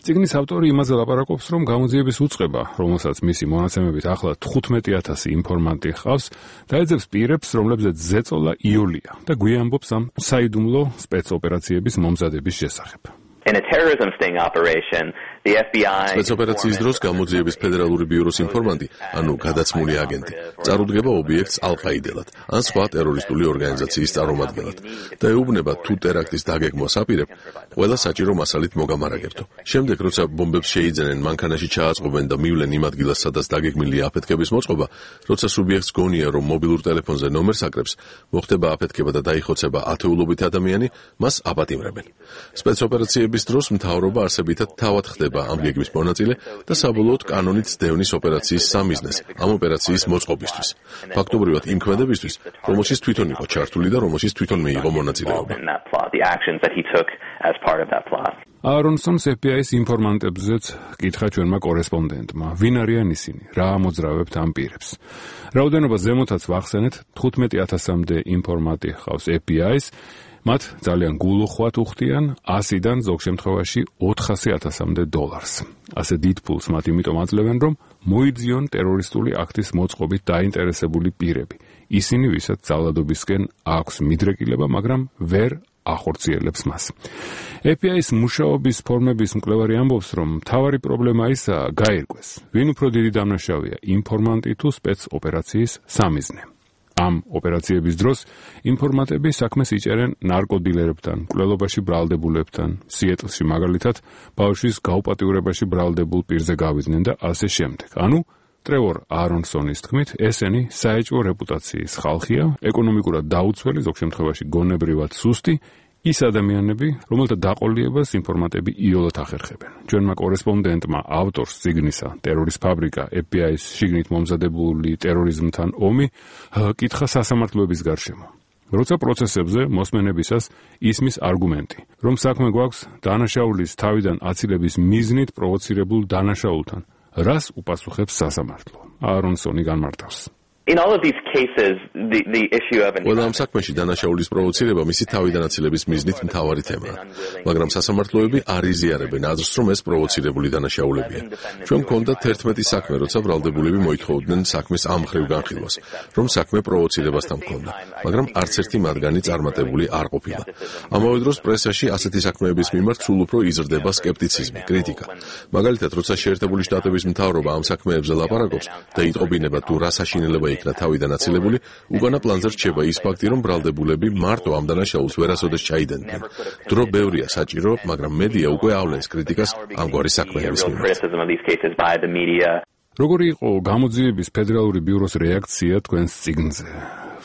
წიგნის ავტორი იმაზე ლაპარაკობს, რომ გამოძიების უწყება, რომელსაც მისი მონაცემებით ახლა 15,000 ინფორმანტი ჰყავს, დაეძებს პირებს, რომლებზეც ზეწოლა იოლია და გვიამბობს ამ საიდუმლო სპეცოპერაციების მომზადების შესახებ. In a terrorism sting operation, the FBI სპეცოპერაციის დროს გამოძიების ფედერალური ბიუროს ინფორმანტი, ანუ გადაცმული აგენტი, წარუდგება ობიექტს ალყაიდელად, ან სხვა ტერორისტული ორგანიზაციის წარმომადგენლად და ეუბნება თუ ტერაქტის დაგეგმვას აპირებ, ყველა საჭირო მასალით მოგამარაგებთო. შემდეგ, როცა ბომბებს შეიძენენ, მანქანაში ჩააწყობენ და მივლენ იმ ადგილას, სადაც დაგეგმილია აფეთქების მოწყობა, როცა სუბიექტს გონია, რომ მობილურ ტელეფონზე ნომერს აკრებს, მოხდება აფეთქება და დაიხოცება ათეულობით ადამიანი, მას აპატიმრებენ. სპეცოპერაციების დროს მთავრობა არსებითად თავად ხდება ამ გეგმის მონაწილე და საბოლოოდ კანონით სდევნის ოპერაციის სამიზნეს ამ ოპერაციის მოწყობისთვის. ფაქტობრივად იმ ქმედებისთვის, რომელშიც თვითონ იყო ჩართული და რომელშიც თვითონ მიიღო მონაწილეობა. არონსონს FBI-ის ინფორმანტებზეც კითხა ჩვენმა კორესპონდენტმა, ვინ არიან ისინი, რა ამოძრავებთ ამ პირებს. რაოდენობა ზემოთაც ვახსენეთ, 15,000-მდე ინფორმანტი ჰყავს FBI-ს, მათ ძალიან გულუხვად უხდიან 100-დან ზოგ შემთხვევაში 400,000-მდე დოლარს. ასე დიდ ფულს მათ იმიტომ აძლევენ, რომ მოიძიონ ტერორისტული აქტის მოწყობით დაინტერესებული პირები. ისინი, ვისაც ძალადობისკენ აქვს მიდრეკილება, მაგრამ ვერ ახორციელებს მას. FBI-ის მუშაობის ფორმების მკვლევარი ამბობს, რომ მთავარი პრობლემა ისაა, გაირკვეს, ვინ უფრო დიდი დამნაშავეა, ინფორმანტი თუ სპეცოპერაციის სამიზნე. ამ ოპერაციების დროს ინფორმანტები საქმეს იჭერენ ნარკოდილერებთან, მკვლელობაში ბრალდებულებთან, სიეტლში მაგალითად ბავშვის გაუპატიურებაში ბრალდებულ პირზე გავიდნენ და ასე შემდეგ. ანუ ტრევორ არონსონის თქმით, ესენი საეჭვო რეპუტაციის ხალხია, ეკონომიკურად დაუცველი, ზოგ შემთხვევაში გონებრივად სუსტი, ის ადამიანები, რომელთა დაყოლიებას ინფორმანტები იოლად ახერხებენ. ჩვენმა კორესპონდენტმა ავტორს წიგნისა ტერორის ფაბრიკა FBI-ის შიგნით მომზადებული ტერორიზმთან ომი კითხა სასამართლოების გარშემო. როცა პროცესებზე მოსმენებისას ისმის არგუმენტი, რომ საქმე გვაქვს დანაშაულის თავიდან აცილების მიზნით პროვოცირებულ დანაშაულთან, რას უპასუხებს სასამართლო? არონსონი განმარტავს. In all of these cases, the issue of ყველა ამ საქმეში დანაშაულის პროვოცირება მისი თავიდან აცილების მიზნით მთავარი თემაა. მაგრამ სასამართლოები არ იზიარებენ აზრს, რომ ეს პროვოცირებული დანაშაულებია. ჩვენ გვქონდა 11 საქმე, როცა ბრალდებულები მოითხოვდნენ საქმის ამ მხრივ განხილვას, რომ საქმე პროვოცირებასთან ჰქონდა, მაგრამ არც ერთი მათგანი წარმატებული არ ყოფილა. ამავე დროს პრესაში ასეთი საქმეების მიმართ სულ უფრო იზრდება სკეპტიციზმი, კრიტიკა. მაგალითად, როცა შეერთებული შტატების მთავრობა ამ საქმეებზე ლაპარაკობს და იტყობინება თუ რა საშინელება იქნა თავიდან აცილებული, უკანა პლანზე რჩება ის ფაქტი, რომ ბრალდებულები მარტო ამ დანაშაულს ვერასოდეს ჩაიდენდნენ. დრო ბევრია საჭირო, მაგრამ მედია უკვე ავლენს კრიტიკას ამგვარი საქმეების მიმართ. როგორი იყო გამოძიების ფედერალური ბიუროს რეაქცია თქვენს წიგნზე?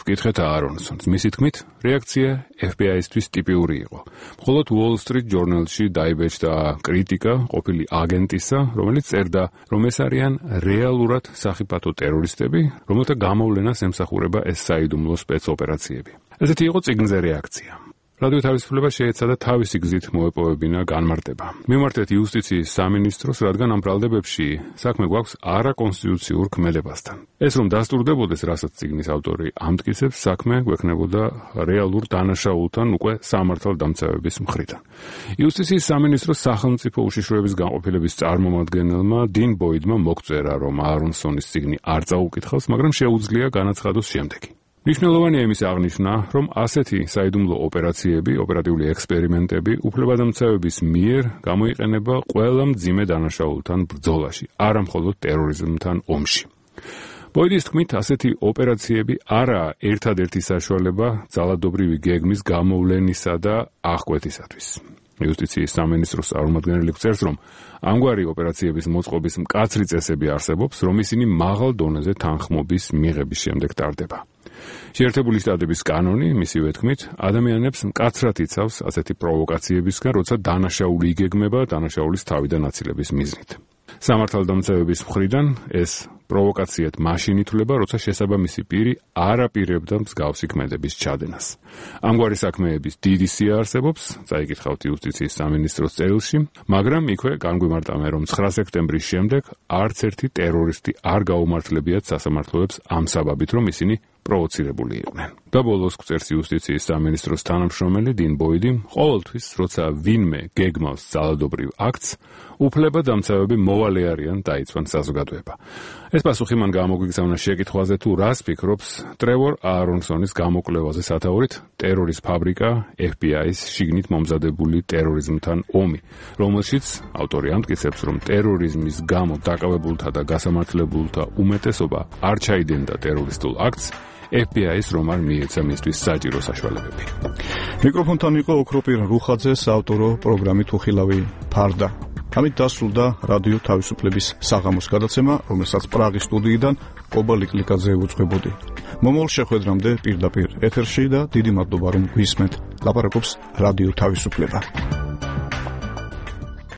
ვკითხეთ არონსონს. მისი თქმით, რეაქცია FBI-ისთვის ტიპიური იყო. მხოლოდ Wall Street Journal-ში დაიბეჭდა კრიტიკა ყოფილი აგენტისა, რომელიც წერდა, რომ ეს არიან რეალურად სახიფათო ტერორისტები, რომელთა გამოვლენას ემსახურება ეს საიდუმლო სპეცოპერაციები. ესეთი იყო წიგნზე რეაქცია. რადიო თავისუფლება შეეცადა თავისი გზით მოეპოვებინა განმარტება. მივმართეთ იუსტიციის სამინისტროს, რადგან ამ ბრალდებებში საქმე გვაქვს არაკონსტიტუციურ ქმედებასთან. ეს რომ დასტურდებოდეს, რასაც წიგნის ავტორი ამტკიცებს, საქმე გვექნებოდა რეალურ დანაშაულთან უკვე სამართალდამცავების მხრიდან. იუსტიციის სამინისტროს სახელმწიფო უშიშროების განყოფილების წარმომადგენელმა 딘 ბოიდმა მოგწერა, რომ არონსონის წიგნი არ წაუკითხავს, მაგრამ შეუძლია განაცხადოს შემდეგი. მნიშვნელოვანია იმის აღნიშვნა, რომ ასეთი საიდუმლო ოპერაციები, ოპერატიული ექსპერიმენტები უფლებადამცავების მიერ გამოიყენება ყველა მძიმე დანაშაულთან ბრძოლაში, არა მხოლოდ ტერორიზმთან ომში. ბოიდის თქმით, ასეთი ოპერაციები არაა ერთადერთი საშუალება ძალადობრივი გეგმის გამოვლენისა და აღკვეთისათვის. იუსტიციის სამინისტროს წარმომადგენელი წერს, რომ ამგვარი ოპერაციების მოწყობის მკაცრი წესები არსებობს, რომ ისინი მაღალ დონეზე თანხმობის მიღების შემდეგ ტარდება. შეერთებული შტატების კანონი, მისივე თქმით, ადამიანებს მკაცრად იცავს ასეთი პროვოკაციებისგან, როცა დანაშაული იგეგმება დანაშაულის თავიდან აცილების მიზნით. სამართალდამცავების მხრიდან ეს პროვოკაციად მაშინ ითვლება, როცა შესაბამისი პირი არ აპირებდა მსგავსი ქმედების ჩადენას. ამგვარი საქმეების დიდი სია არსებობს, წაიკითხავთ იუსტიციის სამინისტროს წერილში, მაგრამ იქვე განგვიმარტავენ, რომ 9 სექტემბრის შემდეგ არც ერთი ტერორისტი არ გაუმართლებიათ სასამართლოებს ამ საბაბით, რომ ისინი პროვოცირებული იყვნენ. და ბოლოს წერს იუსტიციის სამინისტროს თანამშრომელი 딘 ბოიდი, ყოველთვის, როცა ვინმე გეგმავს ძალადობრივ აქტს, უფლებადამცავები მოვალე არიან დაიცვან საზოგადოება. ეს პასუხი მან გამოგვიგზავნა შეკითხვაზე, თუ რას ფიქრობს ტრევორ აარონსონის გამოკვლევაზე სათაურით ტერორის ფაბრიკა, FBI-ის შიგნით მომზადებული ტერორიზმთან ომი, რომელშიც ავტორი ამტკიცებს, რომ ტერორიზმის გამო დაკავებულთა და გასამართლებულთა უმეტესობა არ ჩაიდენდა ტერორისტულ აქტს, FBI-ის რომ არ მიეცა მისთვის საჭირო საშუალებები. მიკროფონთან იყო ოქროპირ რუხაძე, საავტორო პროგრამით უხილავი ფარდა. ამით დასრულდა რადიო თავისუფლების საღამოს გადაცემა, რომელსაც პრაღის სტუდიიდან კობა ლიკლიკაძე უძღვებოდი. მომავალ შეხვედრამდე პირდაპირ ეთერში და დიდი მადლობა რომ გვისმენთ. ლაპარაკობს რადიო თავისუფლება.